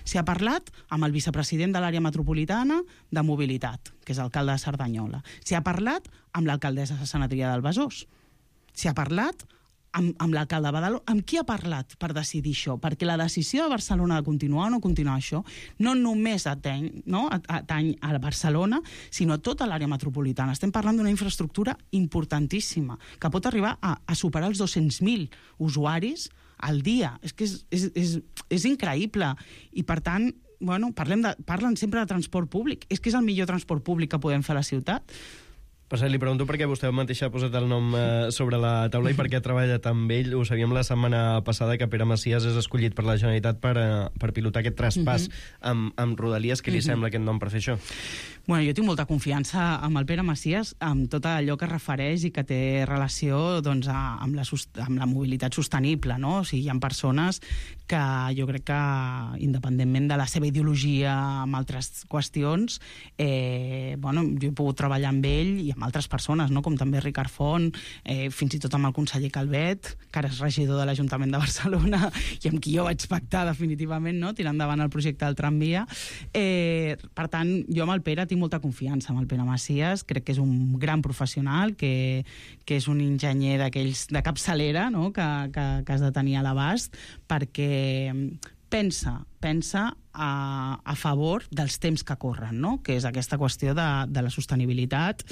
Si ha parlat amb el vicepresident de l'àrea metropolitana de mobilitat, que és alcalde de Cerdanyola. Si ha parlat amb l'alcaldessa de Sant Adrià del Besòs. Si ha parlat amb, amb l'alcalde de Badalona. Amb qui ha parlat per decidir això? Perquè la decisió de Barcelona de continuar o no continuar això no només ateny, no, ateny a Barcelona, sinó a tota l'àrea metropolitana. Estem parlant d'una infraestructura importantíssima, que pot arribar a, a superar els dos-cents mil usuaris al dia. És que és, és, és, és increïble. I, per tant, bueno, parlem de, parlen sempre de transport públic. És que és el millor transport públic que podem fer a la ciutat. Per cert, li pregunto perquè vostè mateix ha posat el nom eh, sobre la taula i perquè ha treballat amb ell. Ho sabíem la setmana passada que Pere Macias és escollit per la Generalitat per, eh, per pilotar aquest traspàs uh-huh. amb, amb Rodalies. Què li uh-huh. sembla aquest nom per fer això? Bueno, jo tinc molta confiança amb el Pere Macias, amb tot allò que refereix i que té relació doncs, a, amb, la, amb la mobilitat sostenible, no? O sigui, hi ha persones que jo crec que, independentment de la seva ideologia amb altres qüestions, eh, bueno, jo he pogut treballar amb ell i amb altres persones, no? Com també Ricard Font, eh, fins i tot amb el conseller Calvet, que ara és regidor de l'Ajuntament de Barcelona i amb qui jo vaig pactar definitivament, no?, tirar endavant el projecte del tramvia. Eh, per tant, jo amb el Pere tinc molta confiança amb el Pere Macias, crec que és un gran professional, que, que és un enginyer d'aquells de capçalera, no?, que, que, que has de tenir a l'abast, perquè pensa, pensa a, a favor dels temps que corren, no?, que és aquesta qüestió de, de la sostenibilitat,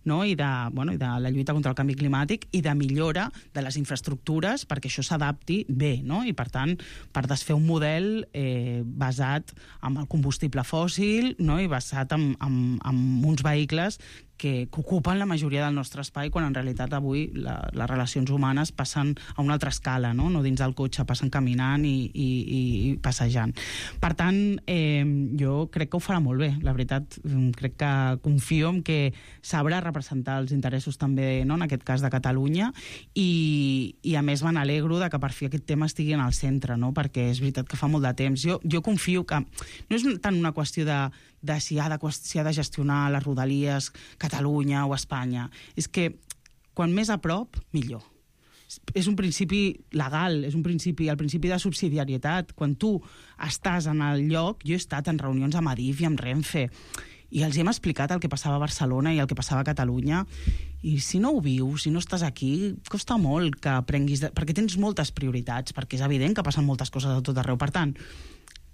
no?, i de, bueno, i de la lluita contra el canvi climàtic i de millora de les infraestructures perquè això s'adapti bé, no?, i per tant, per desfer un model eh, basat en el combustible fòssil, no?, i basat en, en, en uns vehicles que, que ocupen la majoria del nostre espai, quan en realitat avui la, les relacions humanes passen a una altra escala, no?, no dins del cotxe, passen caminant i, i, i, i passejant. Per tant, eh, jo crec que ho farà molt bé, la veritat. Crec que confio en que sabrà representar els interessos també, no?, en aquest cas de Catalunya, i, i a més me n'alegro de que per fi aquest tema estigui en el centre, no?, perquè és veritat que fa molt de temps. Jo, jo confio que no és tant una qüestió de, de, si ha de si ha de gestionar les Rodalies Catalunya o Espanya. És que quan més a prop, millor. És un principi legal, és un principi, el principi de subsidiarietat. Quan tu estàs en el lloc, jo he estat en reunions amb Adif i amb Renfe, i els hem explicat el que passava a Barcelona i el que passava a Catalunya, i si no ho vius, si no estàs aquí, costa molt que aprenguis, de... perquè tens moltes prioritats, perquè és evident que passen moltes coses a tot arreu. Per tant,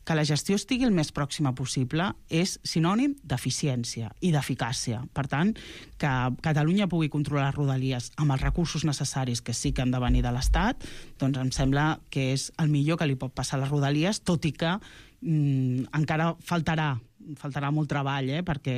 que la gestió estigui el més pròxima possible és sinònim d'eficiència i d'eficàcia. Per tant, que Catalunya pugui controlar les Rodalies amb els recursos necessaris que sí que han de venir de l'Estat, doncs em sembla que és el millor que li pot passar a les Rodalies, tot i que mm, encara faltarà faltarà molt treball, eh? Perquè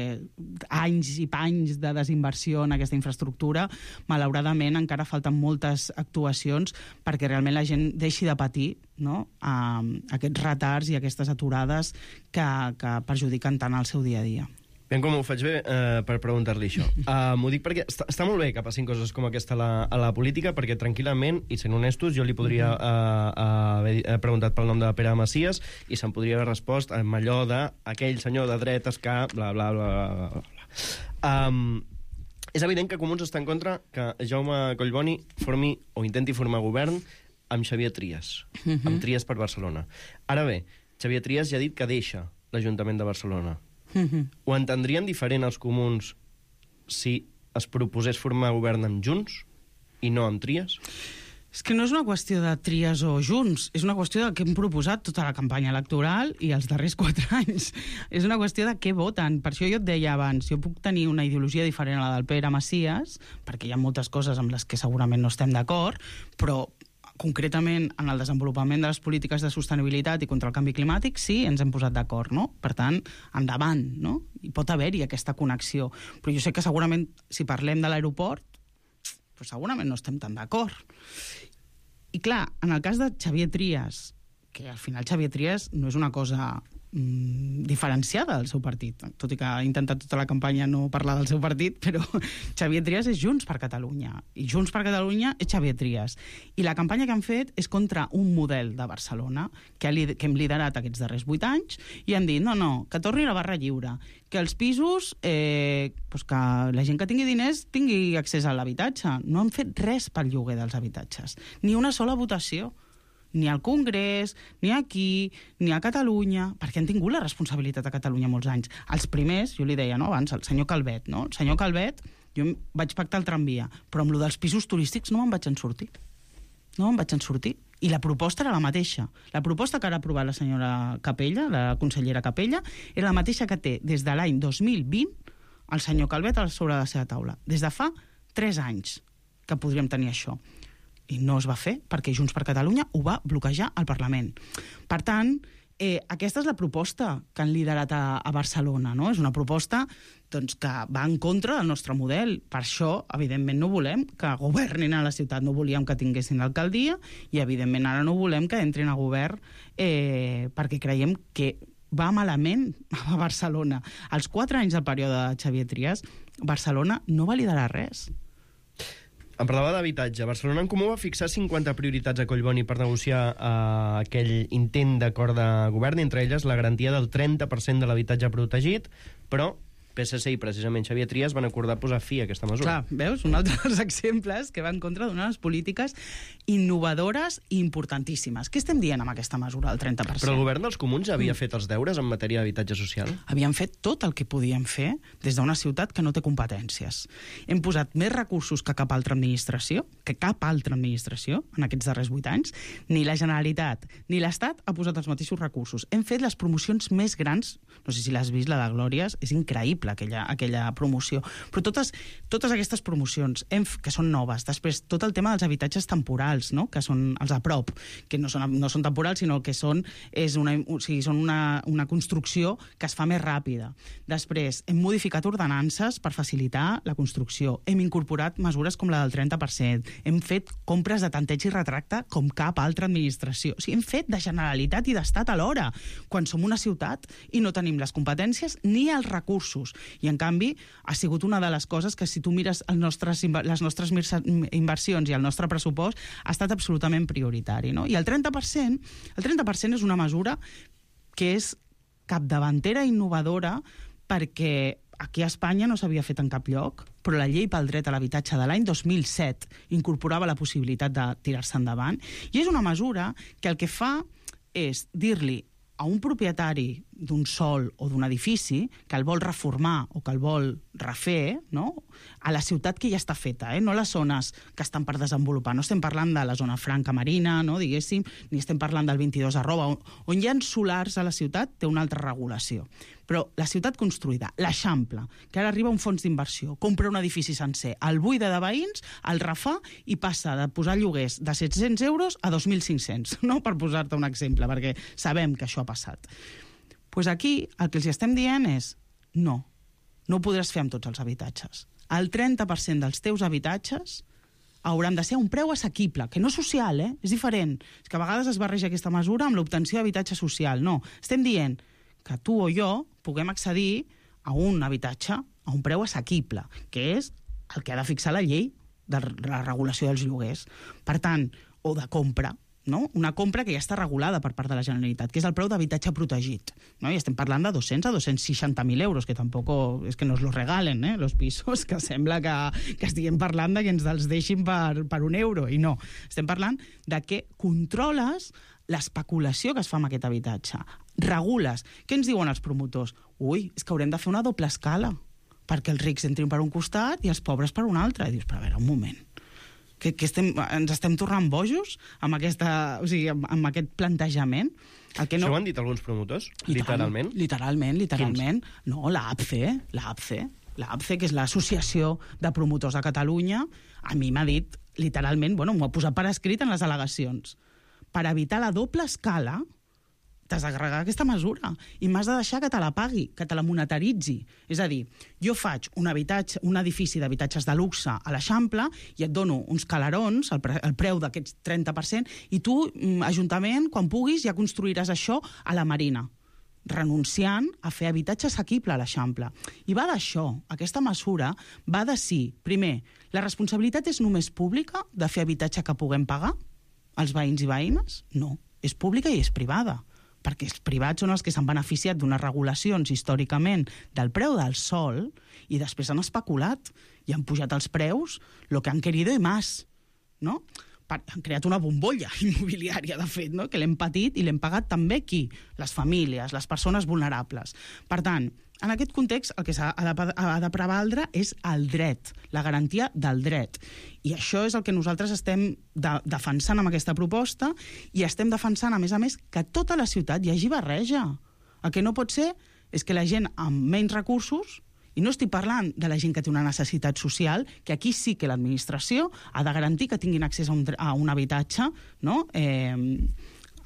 anys i panys de desinversió en aquesta infraestructura, malauradament encara falten moltes actuacions perquè realment la gent deixi de patir, no? uh, aquests retards i aquestes aturades que, que perjudiquen tant el seu dia a dia. Ben, com ho faig bé eh, per preguntar-li això. Uh, M'ho dic perquè està, està molt bé que passin coses com aquesta a la, a la política, perquè tranquil·lament, i sent honestos, jo li podria uh, uh, haver preguntat pel nom de Pere Macias i se'n podria haver respost amb allò d'aquell senyor de dretes que... bla, bla, bla, bla, bla. Um, és evident que Comuns està en contra que Jaume Collboni formi o intenti formar govern amb Xavier Trias, uh-huh. amb Trias per Barcelona. Ara bé, Xavier Trias ja ha dit que deixa l'Ajuntament de Barcelona. Mm-hmm. Ho entendrien diferent els comuns si es proposés formar govern amb Junts i no amb Trias? És que no és una qüestió de Trias o Junts, és una qüestió de què hem proposat tota la campanya electoral i els darrers quatre anys. És una qüestió de què voten. Per això jo et deia abans, jo puc tenir una ideologia diferent a la del Pere Macias, perquè hi ha moltes coses amb les que segurament no estem d'acord, però concretament en el desenvolupament de les polítiques de sostenibilitat i contra el canvi climàtic, sí, ens hem posat d'acord, no? Per tant, endavant, no? I pot haver-hi aquesta connexió. Però jo sé que segurament, si parlem de l'aeroport, doncs segurament no estem tan d'acord. I clar, en el cas de Xavier Trias, que al final Xavier Trias no és una cosa mm, diferenciada del seu partit, tot i que ha intentat tota la campanya no parlar del seu partit, però Xavier Trias és Junts per Catalunya, i Junts per Catalunya és Xavier Trias. I la campanya que han fet és contra un model de Barcelona que, ha, que hem liderat aquests darrers vuit anys, i han dit, no, no, que torni la barra lliure, que els pisos, eh, doncs que la gent que tingui diners tingui accés a l'habitatge. No han fet res pel lloguer dels habitatges, ni una sola votació. Ni al Congrés, ni aquí, ni a Catalunya, perquè han tingut la responsabilitat a Catalunya molts anys. Els primers, jo li deia no, abans, el senyor Calvet, no? El senyor Calvet, jo vaig pactar el tramvia, però amb lo dels pisos turístics no me'n vaig en sortir. No me'n vaig en sortir. I la proposta era la mateixa. La proposta que ara ha aprovat la senyora Capella, la consellera Capella, era la mateixa que té des de l'any dos mil vint el senyor Calvet sobre la seva taula. Des de fa tres anys que podríem tenir això. I no es va fer, perquè Junts per Catalunya ho va bloquejar al Parlament. Per tant, eh, aquesta és la proposta que han liderat a, a Barcelona, no? És una proposta doncs, que va en contra del nostre model. Per això, evidentment, no volem que governin a la ciutat, no volíem que tinguessin l'alcaldia, i, evidentment, ara no volem que entrin a govern eh, perquè creiem que va malament a Barcelona. Als quatre anys del període de Xavier Trias, Barcelona no va liderar res. Em parlava d'habitatge. Barcelona en Comú va fixar cinquanta prioritats a Collboni per negociar eh, aquell intent d'acord de govern, entre elles la garantia del trenta per cent de l'habitatge protegit, però P S C i precisament Xavier Trias van acordar posar fi a aquesta mesura. Clar, veus? Un altre dels exemples que va en contra d'unes polítiques innovadores i importantíssimes. Què estem dient amb aquesta mesura, el trenta per cent? Però el govern dels comuns havia fet els deures en matèria d'habitatge social? Havien fet tot el que podien fer des d'una ciutat que no té competències. Hem posat més recursos que cap altra administració, que cap altra administració en aquests darrers vuit anys. Ni la Generalitat ni l'Estat ha posat els mateixos recursos. Hem fet les promocions més grans, no sé si l'has vist, la de Glòries, és increïble aquella, aquella promoció. Però totes, totes aquestes promocions hem, que són noves, després tot el tema dels habitatges temporals, no? Que són els a prop, que no són, no són temporals, sinó que són, és una, o sigui, són una, una construcció que es fa més ràpida. Després, hem modificat ordenances per facilitar la construcció. Hem incorporat mesures com la del trenta per cent. Hem fet compres de tanteig i retracte com cap altra administració. O sigui, hem fet de Generalitat i d'Estat alhora, quan som una ciutat i no tenim les competències ni els recursos. I, en canvi, ha sigut una de les coses que, si tu mires els nostres, les nostres inversions i el nostre pressupost, ha estat absolutament prioritari, no? I el trenta per cent, el trenta per cent és una mesura que és capdavantera i innovadora, perquè aquí a Espanya no s'havia fet en cap lloc, però la llei pel dret a l'habitatge de l'any dos mil set incorporava la possibilitat de tirar-se endavant, i és una mesura que el que fa és dir-li a un propietari d'un sòl o d'un edifici que el vol reformar o que el vol refer, no? A la ciutat que ja està feta, eh? No les zones que estan per desenvolupar. No estem parlant de la zona franca marina, no, diguéssim, ni estem parlant del vint-i-dos arroba, on, on hi ha solars a la ciutat, té una altra regulació. Però la ciutat construïda, l'Eixample, que ara arriba un fons d'inversió, compra un edifici sencer, el buida de veïns, el refà i passa de posar lloguers de set-cents euros a dos mil cinc-cents, no? Per posar-te un exemple, perquè sabem que això ha passat. Pues aquí el que els estem dient és no, no ho podràs fer amb tots els habitatges. El trenta per cent dels teus habitatges hauran de ser a un preu assequible, que no social, eh? És diferent. És que a vegades es barreja aquesta mesura amb l'obtenció d'habitatge social. No, estem dient que tu o jo puguem accedir a un habitatge a un preu assequible, que és el que ha de fixar la llei de la regulació dels lloguers. Per tant, o de compra, no? Una compra que ja està regulada per part de la Generalitat, que és el preu d'habitatge protegit. No? I estem parlant de dos-cents a dos-cents seixanta mil euros, que tampoc és que nos los regalen, eh, los pisos, que sembla que, que estiguem parlant de que ens els deixin per, per un euro, i no. Estem parlant de que controles l'especulació que es fa amb aquest habitatge. Regules. Què ens diuen els promotors? Ui, és que haurem de fer una doble escala, perquè els rics entrin per un costat i els pobres per un altre. I dius, però a veure, un moment, que, que estem, ens estem tornant bojos amb, aquesta, o sigui, amb, amb aquest plantejament? El que no... Això ho han dit alguns promotors? Literalment? Literalment, literalment. Quins? No, l'APCE, l'APCE, l'APCE, que és l'Associació de Promotors de Catalunya, a mi m'ha dit, literalment, bueno, m'ho ha posat per escrit en les al·legacions, per evitar la doble escala, t'has d'agregar aquesta mesura i m'has de deixar que te la pagui, que te la monetaritzi. És a dir, jo faig un habitatge, un edifici d'habitatges de luxe a l'Eixample i et dono uns calarons, el, pre, el preu d'aquests trenta per cent, i tu, Ajuntament, quan puguis, ja construiràs això a la Marina, renunciant a fer habitatge assequible a l'Eixample. I va d'això. Aquesta mesura va de si, primer, la responsabilitat és només pública de fer habitatge que puguem pagar els veïns i veïnes? No, és pública i és privada, perquè els privats són els que s'han beneficiat d'unes regulacions històricament del preu del sòl i després han especulat i han pujat els preus lo que han querido i más, no? Han creat una bombolla immobiliària, de fet, no? Que l'hem patit i l'hem pagat també qui? Les famílies, les persones vulnerables. Per tant, en aquest context, el que s'ha de, de prevaldre és el dret, la garantia del dret. I això és el que nosaltres estem de, defensant amb aquesta proposta i estem defensant, a més a més, que a tota la ciutat hi hagi barreja. El que no pot ser és que la gent amb menys recursos, i no estic parlant de la gent que té una necessitat social, que aquí sí que l'administració ha de garantir que tinguin accés a un, a un habitatge, no?, eh,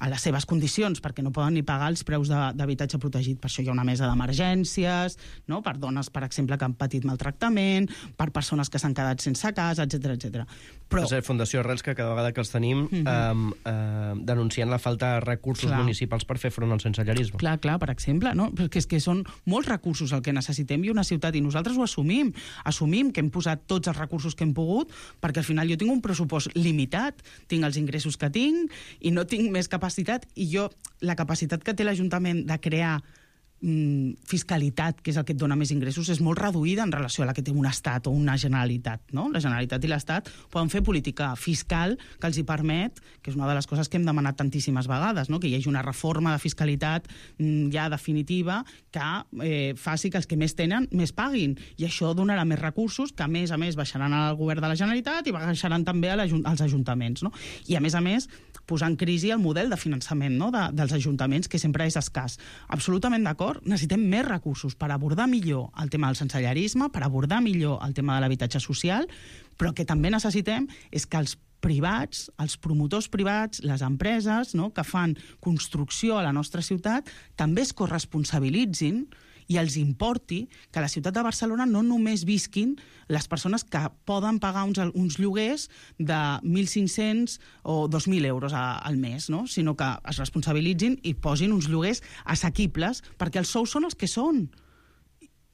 a les seves condicions, perquè no poden ni pagar els preus d'habitatge protegit. Per això hi ha una mesa d'emergències, no?, per dones, per exemple, que han patit maltractament, per persones que s'han quedat sense casa, etcètera, etcètera. Però... És la Fundació Arrels, que cada vegada que els tenim mm -hmm. eh, eh, denunciant la falta de recursos clar. municipals per fer front al sensellarisme. Clar, clar, per exemple, no? Perquè és que són molts recursos el que necessitem i una ciutat, i nosaltres ho assumim. Assumim que hem posat tots els recursos que hem pogut, perquè al final jo tinc un pressupost limitat, tinc els ingressos que tinc i no tinc més capacitat, i jo, la capacitat que té l'Ajuntament de crear mm, fiscalitat, que és el que et dona més ingressos, és molt reduïda en relació a la que té un estat o una generalitat, no? La Generalitat i l'Estat poden fer política fiscal que els hi permet, que és una de les coses que hem demanat tantíssimes vegades, no?, que hi hagi una reforma de fiscalitat mm, ja definitiva que eh, faci que els que més tenen més paguin, i això donarà més recursos que a més a més baixaran al govern de la Generalitat i baixaran també als ajuntaments, no? I a més a més posar en crisi el model de finançament, no?, de, dels ajuntaments, que sempre és escàs. Absolutament d'acord, necessitem més recursos per abordar millor el tema del sensellarisme, per abordar millor el tema de l'habitatge social, però que també necessitem és que els privats, els promotors privats, les empreses, no?, que fan construcció a la nostra ciutat, també es corresponsabilitzin i els importi que a la ciutat de Barcelona no només visquin les persones que poden pagar uns, uns lloguers de mil cinc-cents o dos mil euros a, al mes, no?, sinó que es responsabilitzin i posin uns lloguers assequibles, perquè els sous són els que són.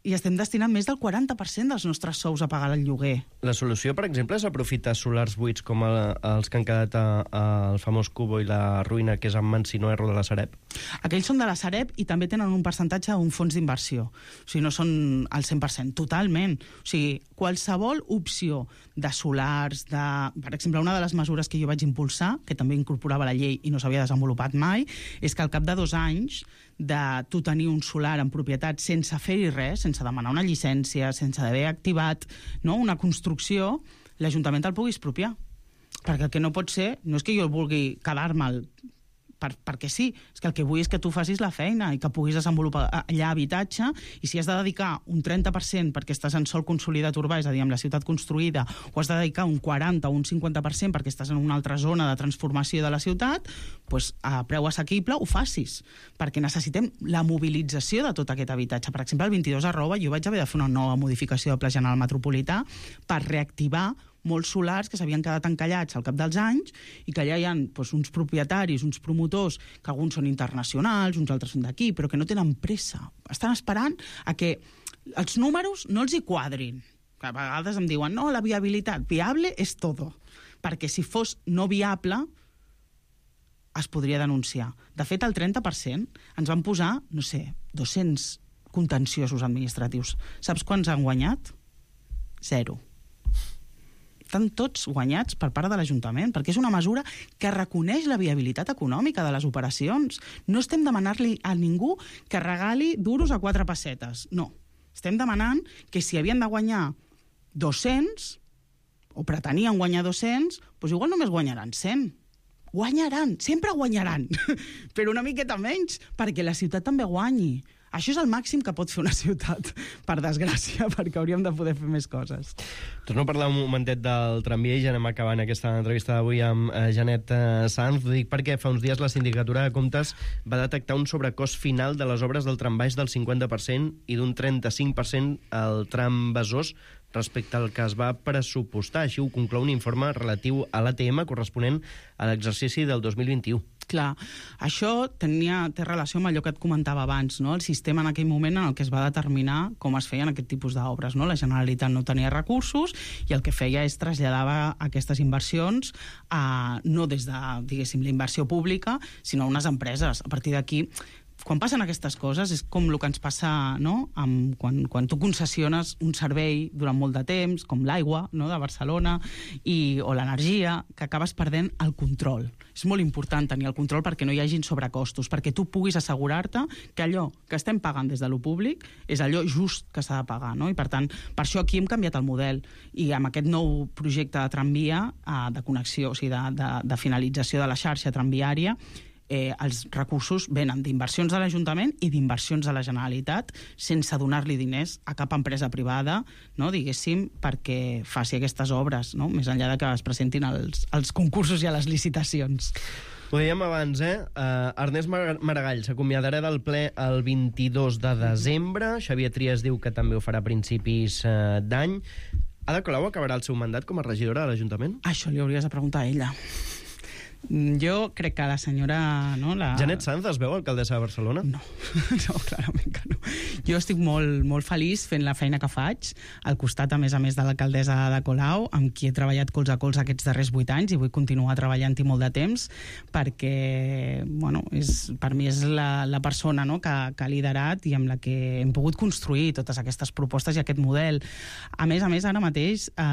I estem destinant més del quaranta per cent dels nostres sous a pagar el lloguer. La solució, per exemple, és aprofitar solars buits com el, els que han quedat al famós Cubo i la Ruïna, que és en mans, si no erro, de la Sareb? Aquells són de la Sareb i també tenen un percentatge d'un fons d'inversió. O sigui, no són al cent per cent, totalment. O sigui, qualsevol opció de solars, de... Per exemple, una de les mesures que jo vaig impulsar, que també incorporava la llei i no s'havia desenvolupat mai, és que al cap de dos anys de tu tenir un solar en propietat sense fer-hi res, sense demanar una llicència, sense haver activat, no?, una construcció, l'Ajuntament te'l pugui expropiar. Perquè el que no pot ser, no és que jo vulgui quedar-me'l per, perquè sí, és que el que vull és que tu facis la feina i que puguis desenvolupar allà habitatge, i si has de dedicar un trenta per cent perquè estàs en sòl consolidat urbà, és a dir, amb la ciutat construïda, o has de dedicar un quaranta o un cinquanta per cent perquè estàs en una altra zona de transformació de la ciutat, doncs a preu assequible ho facis, perquè necessitem la mobilització de tot aquest habitatge. Per exemple, el vint-i-dos arroba jo vaig haver de fer una nova modificació del Pla General Metropolità per reactivar molts solars que s'havien quedat encallats al cap dels anys i que allà hi ha doncs, uns propietaris, uns promotors, que alguns són internacionals, uns altres són d'aquí, però que no tenen pressa. Estan esperant a que els números no els hi quadrin. A vegades em diuen, no, la viabilitat, viable és todo. Perquè si fos no viable, es podria denunciar. De fet, el trenta per cent ens van posar, no sé, dos-cents contenciosos administratius. Saps quants han guanyat? Zero. Estan tots guanyats per part de l'Ajuntament, perquè és una mesura que reconeix la viabilitat econòmica de les operacions. No estem demanant-li a ningú que regali duros a quatre pessetes. No. Estem demanant que si havien de guanyar dos-cents, o pretenien guanyar dos-cents, doncs igual només guanyaran cent. Guanyaran, sempre guanyaran, però una miqueta menys, perquè la ciutat també guanyi. Això és el màxim que pot fer una ciutat, per desgràcia, perquè hauríem de poder fer més coses. Torno a parlar un momentet del tramvia i ja anem acabant aquesta entrevista d'avui amb eh, Janet eh, Sanz. Ho dic perquè fa uns dies la Sindicatura de Comptes va detectar un sobrecost final de les obres del trambaix del cinquanta per cent i d'un trenta-cinc per cent al tram Besòs respecte al que es va pressupostar. Així ho conclou un informe relatiu a l'A T M corresponent a l'exercici del dos mil vint-i-u. Clar, això tenia, té relació amb allò que et comentava abans, no? El sistema en aquell moment en el que es va determinar com es feien aquest tipus d'obres, no? La Generalitat no tenia recursos i el que feia és traslladava aquestes inversions a, no des de, diguéssim, la inversió pública, sinó a unes empreses. A partir d'aquí, quan passen aquestes coses, és com el que ens passa, no? Amb, quan, quan tu concessiones un servei durant molt de temps, com l'aigua, no? De Barcelona, i, o l'energia, que acabes perdent el control. És molt important tenir el control perquè no hi hagin sobrecostos, perquè tu puguis assegurar-te que allò que estem pagant des de lo públic és allò just que s'ha de pagar, no? I per tant, per això aquí hem canviat el model, i amb aquest nou projecte de tramvia, eh, de connexió, o sigui, de, de, de finalització de la xarxa tramviària, Eh, els recursos venen d'inversions de l'Ajuntament i d'inversions de la Generalitat sense donar-li diners a cap empresa privada, no, diguéssim, perquè faci aquestes obres, no? Més enllà de que es presentin els, els concursos i a les licitacions. Ho dèiem abans, eh? Uh, Ernest Maragall s'acomiadarà del ple el vint-i-dos de desembre. Xavier Trias diu que també ho farà a principis uh, d'any. Ada Colau acabarà el seu mandat com a regidora de l'Ajuntament? Això li hauries de preguntar a ella. Jo crec que la senyora... No, la... Janet Sanz es veu alcaldessa de Barcelona? No, no, clarament que no. Jo estic molt, molt feliç fent la feina que faig, al costat, a més a més, de l'alcaldessa Ada Colau, amb qui he treballat colze a colze aquests darrers vuit anys i vull continuar treballant-hi molt de temps, perquè, bueno, és, per mi és la, la persona, no, que, que ha liderat i amb la que hem pogut construir totes aquestes propostes i aquest model. A més a més, ara mateix, eh,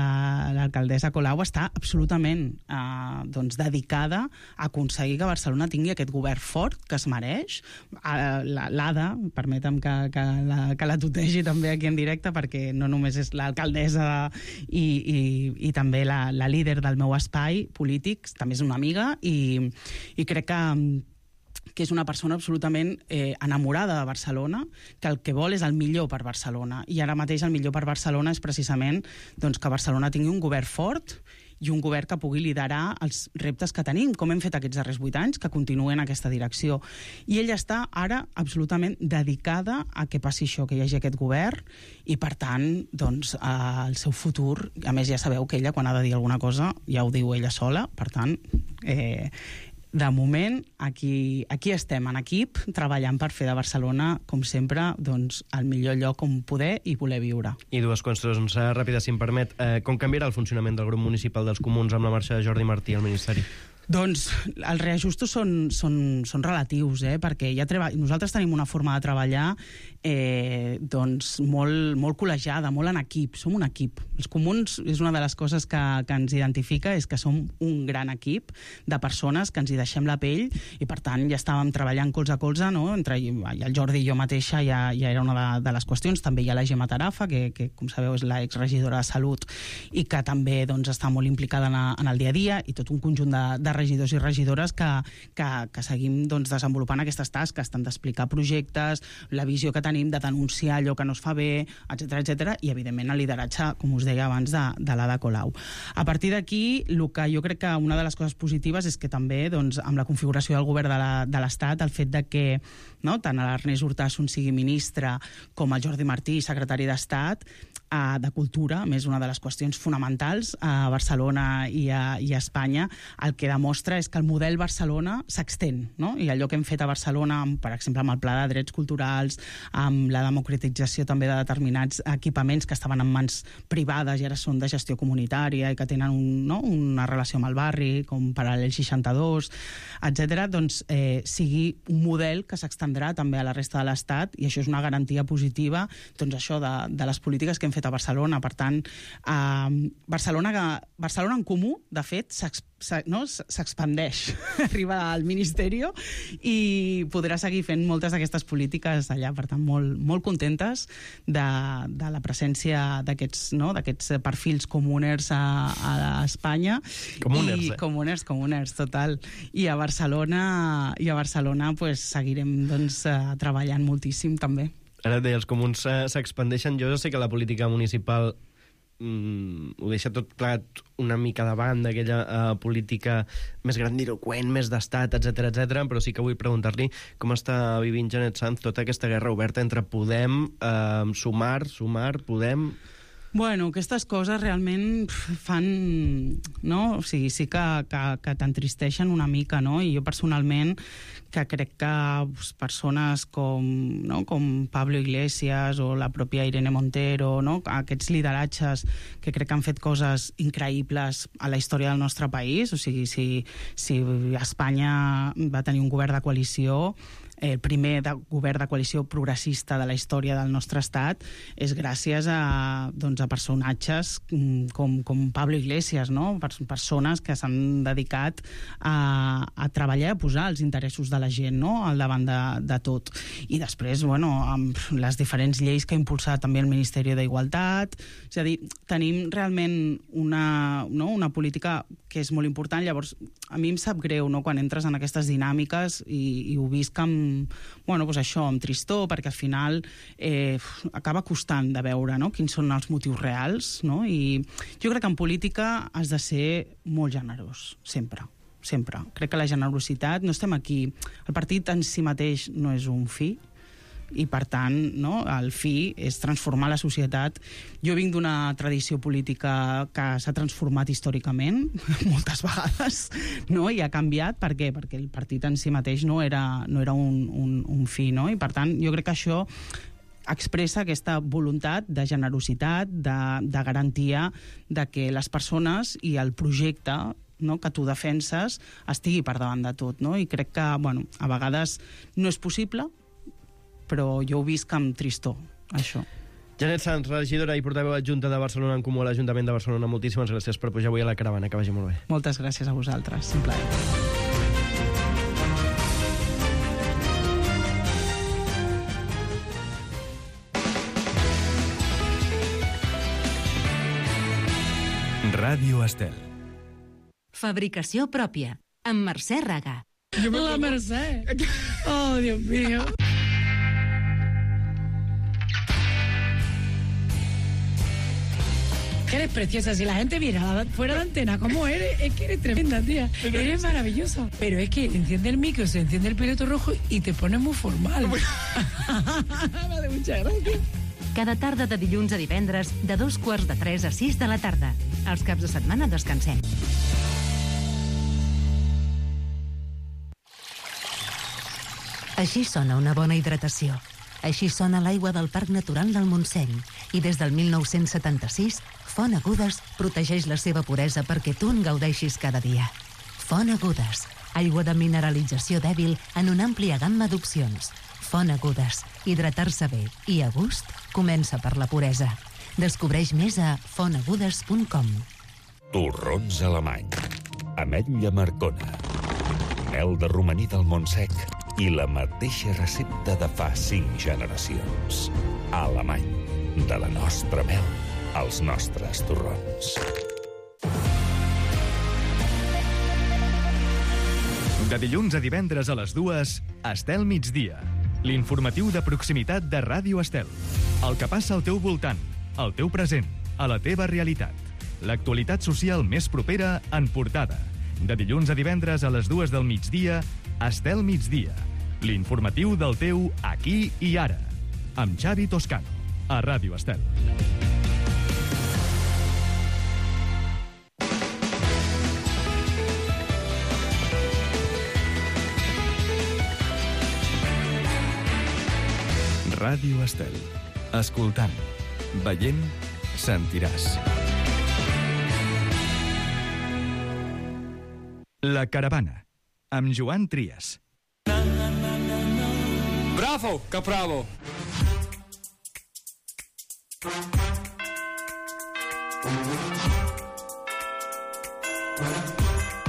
l'alcaldessa Colau està absolutament eh, doncs, dedicada a aconseguir que Barcelona tingui aquest govern fort que es mereix. L'Ada, permetem que, que, la, que la tutegi també aquí en directe, perquè no només és l'alcaldessa i, i, i també la, la líder del meu espai polític, també és una amiga, i, i crec que que és una persona absolutament eh, enamorada de Barcelona, que el que vol és el millor per Barcelona. I ara mateix el millor per Barcelona és precisament doncs, que Barcelona tingui un govern fort i un govern que pugui liderar els reptes que tenim, com hem fet aquests darrers vuit anys, que continuen en aquesta direcció. I ella està ara absolutament dedicada a que passi això, que hi hagi aquest govern, i per tant, doncs, eh, el seu futur, a més ja sabeu que ella, quan ha de dir alguna cosa, ja ho diu ella sola, per tant, eh, de moment, aquí, aquí estem en equip, treballant per fer de Barcelona, com sempre, doncs, el millor lloc on poder i voler viure. I dues qüestions ràpides, si em permet. Eh, com canviarà el funcionament del grup municipal dels Comuns amb la marxa de Jordi Martí al Ministeri? Doncs els reajustos són, són, són relatius, eh? Perquè ja treba... nosaltres tenim una forma de treballar eh, doncs molt, molt col·legiada, molt en equip, som un equip. Els comuns és una de les coses que, que ens identifica, és que som un gran equip de persones que ens hi deixem la pell i per tant ja estàvem treballant colze a colze, no? Entre el Jordi i jo mateixa ja, ja era una de, de les qüestions. També hi ha la Gemma Tarafa, que, que com sabeu és l'exregidora de Salut i que també doncs, està molt implicada en, a, en el dia a dia, i tot un conjunt de, de regidors i regidores que, que, que seguim doncs, desenvolupant aquestes tasques, tant d'explicar projectes, la visió que tenim de denunciar allò que no es fa bé, etcètera, etcètera, i evidentment el lideratge, com us deia abans, de, de l'Ada Colau. A partir d'aquí, el que jo crec que una de les coses positives és que també, doncs, amb la configuració del govern de l'Estat, el fet de que no, tant l'Ernest Urtasun sigui ministre com el Jordi Martí, secretari d'Estat, eh, de Cultura, més una de les qüestions fonamentals a Barcelona i a, i a Espanya, el que demostra és que el model Barcelona s'extén, no? I allò que hem fet a Barcelona, per exemple, amb el Pla de Drets Culturals, amb la democratització també de determinats equipaments que estaven en mans privades i ara són de gestió comunitària i que tenen un, no, una relació amb el barri, com Paral·lel seixanta-dos, etcètera, doncs eh, sigui un model que s'extendrà també a la resta de l'Estat, i això és una garantia positiva, doncs això de, de les polítiques que hem fet a Barcelona. Per tant, eh, Barcelona, Barcelona en Comú, de fet, s'expandeix, no? Arriba al Ministeri i podrà seguir fent moltes d'aquestes polítiques allà. Per tant, molt, molt contentes de, de la presència d'aquests, no? d'aquests perfils comuners a, a Espanya. Comuners, I, eh? Comuners, comuners, total. I a Barcelona, i a Barcelona pues, seguirem doncs, treballant moltíssim també. Ara et deia, els comuns s'expandeixen. Jo sé que la política municipal mm, ho deixa tot plegat una mica de banda, aquella uh, política més grandiloqüent, més d'estat, etcètera, etcètera, però sí que vull preguntar-li com està vivint Janet Sanz tota aquesta guerra oberta entre Podem, uh, Sumar, Sumar, Podem... Bueno, aquestes coses realment fan, no? O sigui, sí que, que, que t'entristeixen una mica, no? I jo personalment, que crec que pues, persones com, no? com Pablo Iglesias o la pròpia Irene Montero, no? Aquests lideratges que crec que han fet coses increïbles a la història del nostre país, o sigui, si, si Espanya va tenir un govern de coalició, el primer de, govern de coalició progressista de la història del nostre estat, és gràcies a, doncs, a personatges com, com Pablo Iglesias, no? Persones que s'han dedicat a, a treballar i a posar els interessos de la gent, no? Al davant de, de tot. I després, bueno, amb les diferents lleis que ha impulsat també el Ministeri d'Igualtat, és a dir, tenim realment una, no? una política que és molt important. Llavors, a mi em sap greu, no? Quan entres en aquestes dinàmiques i, i ho visc amb bueno, doncs això, amb tristor, perquè al final eh, acaba costant de veure, no? Quins són els motius reals, no? I jo crec que en política has de ser molt generós, sempre, sempre. Crec que la generositat, no estem aquí, el partit en si mateix no és un fi, i per tant, no, el fi és transformar la societat. Jo vinc d'una tradició política que s'ha transformat històricament moltes vegades, no? I ha canviat. Per què? Perquè el partit en si mateix no era, no era un, un, un fi, no? I per tant, jo crec que això expressa aquesta voluntat de generositat, de, de garantia de que les persones i el projecte, no, que tu defenses estigui per davant de tot, no? I crec que, bueno, a vegades no és possible, però jo ho visc amb tristor, això. Janet Sanz, regidora i portaveu adjunta de Barcelona en Comú a l'Ajuntament de Barcelona, moltíssimes gràcies per pujar avui a la caravana, que vagi molt bé. Moltes gràcies a vosaltres, un plaer. Ràdio Estel. Fabricació pròpia, amb Mercè Raga. La Mercè. Oh, Dios mío. Eres preciosa, si la gente viera fuera de antena cómo eres, es que eres tremenda, tía. Eres maravillosa. Pero es que enciende el micro, se enciende el piloto rojo y te pones muy formal. Vale, muchas gracias. Cada tarda de dilluns a divendres, de dos quarts de tres a sis de la tarda. Els caps de setmana descansem. Així sona una bona hidratació. Així sona l'aigua del Parc Natural del Montseny. I des del mil nou-cents setanta-sis, Font Agudes protegeix la seva puresa perquè tu en gaudeixis cada dia. Font Agudes, aigua de mineralització dèbil en una àmplia gamma d'opcions. Font Agudes. Hidratar-se bé i a gust comença per la puresa. Descobreix més a font agudes punt com. Torrons alemany. Ametlla marcona. Mel de romaní del Montsec i la mateixa recepta de fa cinc generacions. Alemany. De la nostra mel als nostres torrons. De dilluns a divendres a les dues, Estel Migdia. L'informatiu de proximitat de Ràdio Estel. El que passa al teu voltant, al teu present, a la teva realitat. L'actualitat social més propera en portada. De dilluns a divendres a les dues del migdia, Estel Migdia. L'informatiu del teu aquí i ara. Amb Xavi Toscano, a Ràdio Estel. Ràdio Estel. Escoltant, veient, sentiràs. La caravana, amb Joan Trias. Bravo, Capravo!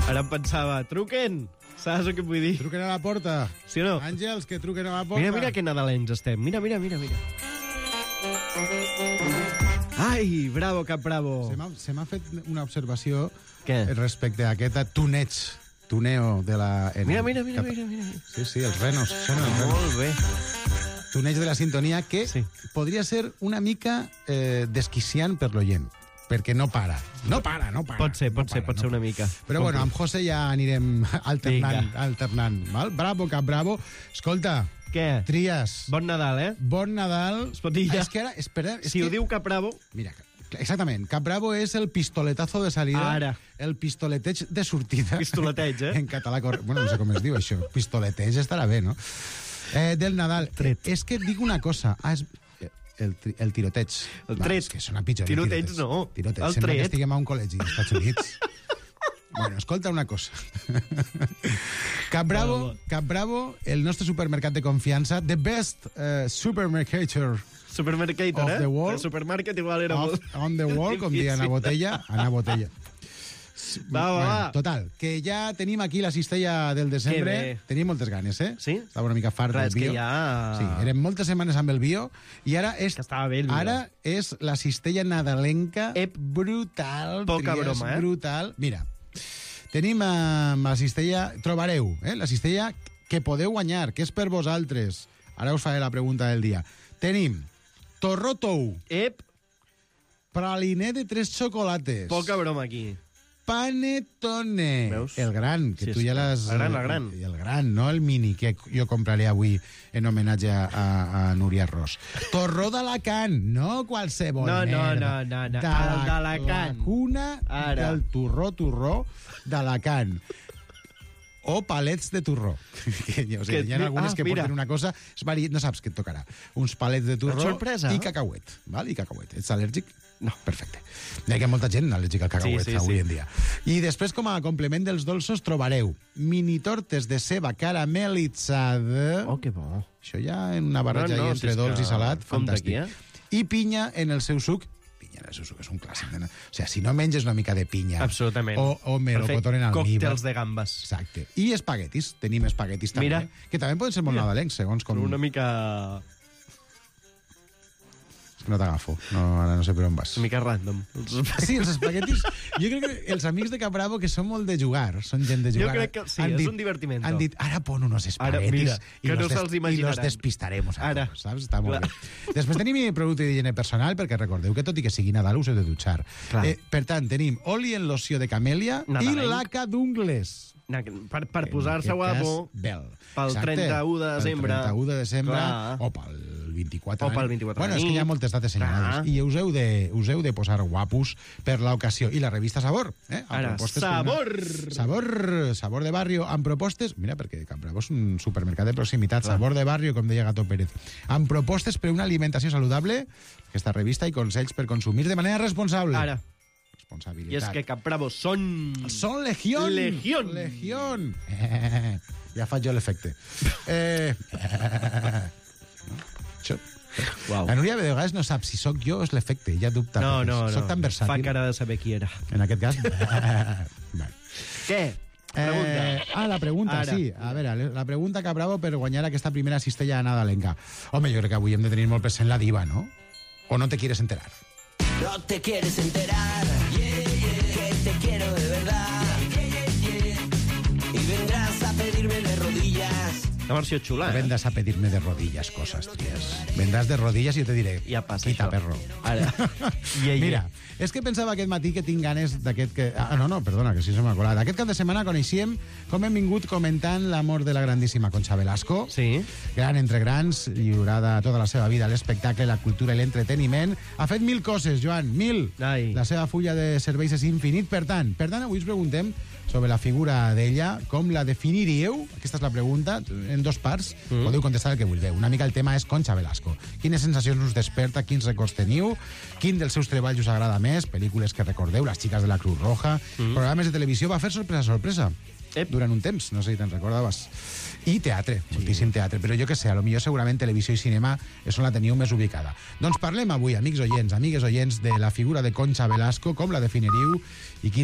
Ara em pensava, truquen! Saps el que vull dir? Truquen a la porta. Sí o no? Àngels, que truquen a la porta. Mira, mira que nadalencs estem. Mira, mira, mira, mira. Ai, bravo, Cap Bravo. Se m'ha, se m'ha fet una observació Què? respecte a aquest tuneig, tuneo de la... Mira, mira, mira, mira, mira. Sí, sí, els renos. Són els renos. Molt bé. Tuneig de la sintonia que sí. podria ser una mica eh, desquiciant per l'oient, perquè no para. No para, no para. Pot ser, pot no ser, para, pot no ser una mica. Però bueno, amb José ja anirem alternant, Vinga. alternant. Val? Bravo, Cap Bravo. Escolta, què? Trias. Bon Nadal, eh? Bon Nadal. Es pot dir ja? És que ara, espera... És si que... ho diu Cap Bravo... Mira, exactament. Cap Bravo és el pistoletazo de salida. Ara. El pistoleteig de sortida. Pistoleteig, eh? En català, corre... bueno, no sé com es diu això. Pistoleteig estarà bé, no? Eh, del Nadal. Tret. És que et dic una cosa. Ah, és... El, tri... el tiroteig. El tret. Va, és que sona pitjor. Tiroteig no. Tiroteig. El Sembla tret. que estiguem a un col·legi als Estats Units. Bueno, escolta una cosa. Cap Bravo, Cap Bravo, el nostre supermercat de confiança, the best uh, supermercator Supermercator, of eh? the world. El supermarket igual era Of, molt... on the wall, com diuen a Botella, Ana Botella. Va, va, bueno, va. Total, que ja tenim aquí la cistella del desembre. Que bé. Tenim moltes ganes, eh? Sí? Estava una mica fart Res, del bio. que ja... Sí, eren moltes setmanes amb el bio i ara és, Que estava bé el bio. ara és la cistella nadalenca Ep. brutal. Poca Trias, broma, eh? Brutal. Mira, tenim eh, la cistella... Trobareu, eh? La cistella que podeu guanyar, que és per vosaltres. Ara us faré la pregunta del dia. Tenim torró tou, Ep, praliné de tres xocolates, poca broma aquí. panetone, Veus? el gran, que Sí, tu sí. ja l'has... El gran, el gran. El gran, no el mini, que jo compraré avui en homenatge a, a, a Núria Ros. Torró d'Alacant, no qualsevol No, no, merda. no, no, no. De El la- d'Alacant. La cuna Ara. del torró, torró d'Alacant. O palets de torró. Que, o sigui, Que- hi ha algunes ah, que mira. porten una cosa... És vari... No saps què et tocarà. Uns palets de torró Sorpresa. i cacauet. Val? I cacauet. Ets al·lèrgic? No. Perfecte. Hi ha molta gent al·lèrgica al cacauet Sí, sí, avui sí. en dia. I després, com a complement dels dolços, trobareu mini tortes de ceba caramelitzada. Oh, que bo. Això ja en una barreja No, no, no, entre si és dolç que i salat, compta fantàstic. aquí, eh? I pinya en el seu suc. Pinya en el seu suc és un clàssic. De... O sigui, si no menges una mica de pinya... Absolutament. O, o melocotón en almíbar. Còctels de gambes. Exacte. I espaguetis. Tenim espaguetis també. Mira. Que també poden ser molt Mira. nadalencs, segons com... Una mica... És que no t'agafo. No, ara no sé per on vas. Una mica random. Sí, els espaguetis... Jo crec que els amics de Capravo, que són molt de jugar, són gent de Jo jugar... crec que sí, han és dit- un divertimento. Han dit, ara pon unos Ara, espaguetis mira, i, que los no se'ls des- i los imaginaran. despistaremos a Ara. tots, saps? Està molt Clar. bé. Després tenim producte d'higiene personal, perquè recordeu que tot i que sigui Nadal us heu de dutxar. Clar. Eh, per tant, tenim oli en loció de camèlia i Nadalenc. laca d'ungles. Na, Per, per En posar-se aquest guapo, cas, Bel. pel Exacte. trenta-u de desembre. Pel trenta-u de desembre, Clar. o pel vint-i-quatre. O pel d'any. vint-i-quatre Bueno, de és que hi ha nit. moltes dates senyalades. Clar. I us heu, de, us heu de posar guapos per l'ocasió. I la revista Sabor. Eh? Amb Ara, propostes per Sabor! Una... Sabor! Sabor de barrio, amb propostes... Mira, perquè Campravo és un supermercat de proximitat. Clar. Sabor de barrio, com deia Gato Pérez. Amb propostes per una alimentació saludable, aquesta revista i consells per consumir de manera responsable. Ara. responsabilitat. I és que Cap Bravo són... Són legión! Legión! Legión! Eh, ja faig jo l'efecte. Eh, eh, això... Wow. La Núria de vegades no sap si sóc jo o és l'efecte, ja dubta. No, no, no. Soc tan versàtil. Fa cara de saber qui era. En aquest cas... bueno. Què? Pregunta. Eh, ah, la pregunta, Ara. sí. A veure, la pregunta que Bravo per guanyar aquesta primera cistella nadalenca. Home, jo crec que avui hem de tenir molt present la diva, no? O no te quieres enterar? No te quieres enterar, yeah, yeah, que te quiero de verdad, yeah, yeah, yeah. Y vendrás a pedirme de rodillas. Una versió xula, eh? Vendrás a pedirme de rodillas cosas, tías. Vendrás de rodillas i jo te diré, ja passa quita, això. perro. Ara. Yeah, yeah. Mira, és que pensava aquest matí que tinc ganes d'aquest... Que... Ah, no, no, perdona, que sí se m'ha colat. Aquest cap de setmana coneixíem com hem vingut comentant l'amor de la grandíssima Concha Velasco. Sí. Gran entre grans, lliurada tota la seva vida a l'espectacle, la cultura i l'entreteniment. Ha fet mil coses, Joan, mil. Ai. La seva fulla de serveis és infinit. Per tant, per tant, avui us preguntem sobre la figura d'ella, com la definiríeu? Aquesta és la pregunta, en dos parts. Mm. Podeu contestar el que vulgueu. Una mica el tema és Concha Velasco. Quines sensacions us desperta, quins records teniu, quin dels seus treballs us agrada més, pel·lícules que recordeu, Les xiques de la Cruz Roja, mm. programes de televisió, va fer sorpresa, sorpresa. Ep. Durant un temps, no sé si te'n recordaves. I teatre, sí. Moltíssim teatre. Però jo que sé, a lo millor segurament televisió i cinema és on la teniu més ubicada. Doncs parlem avui, amics oients, amigues oients, de la figura de Concha Velasco, com la definiríeu i quin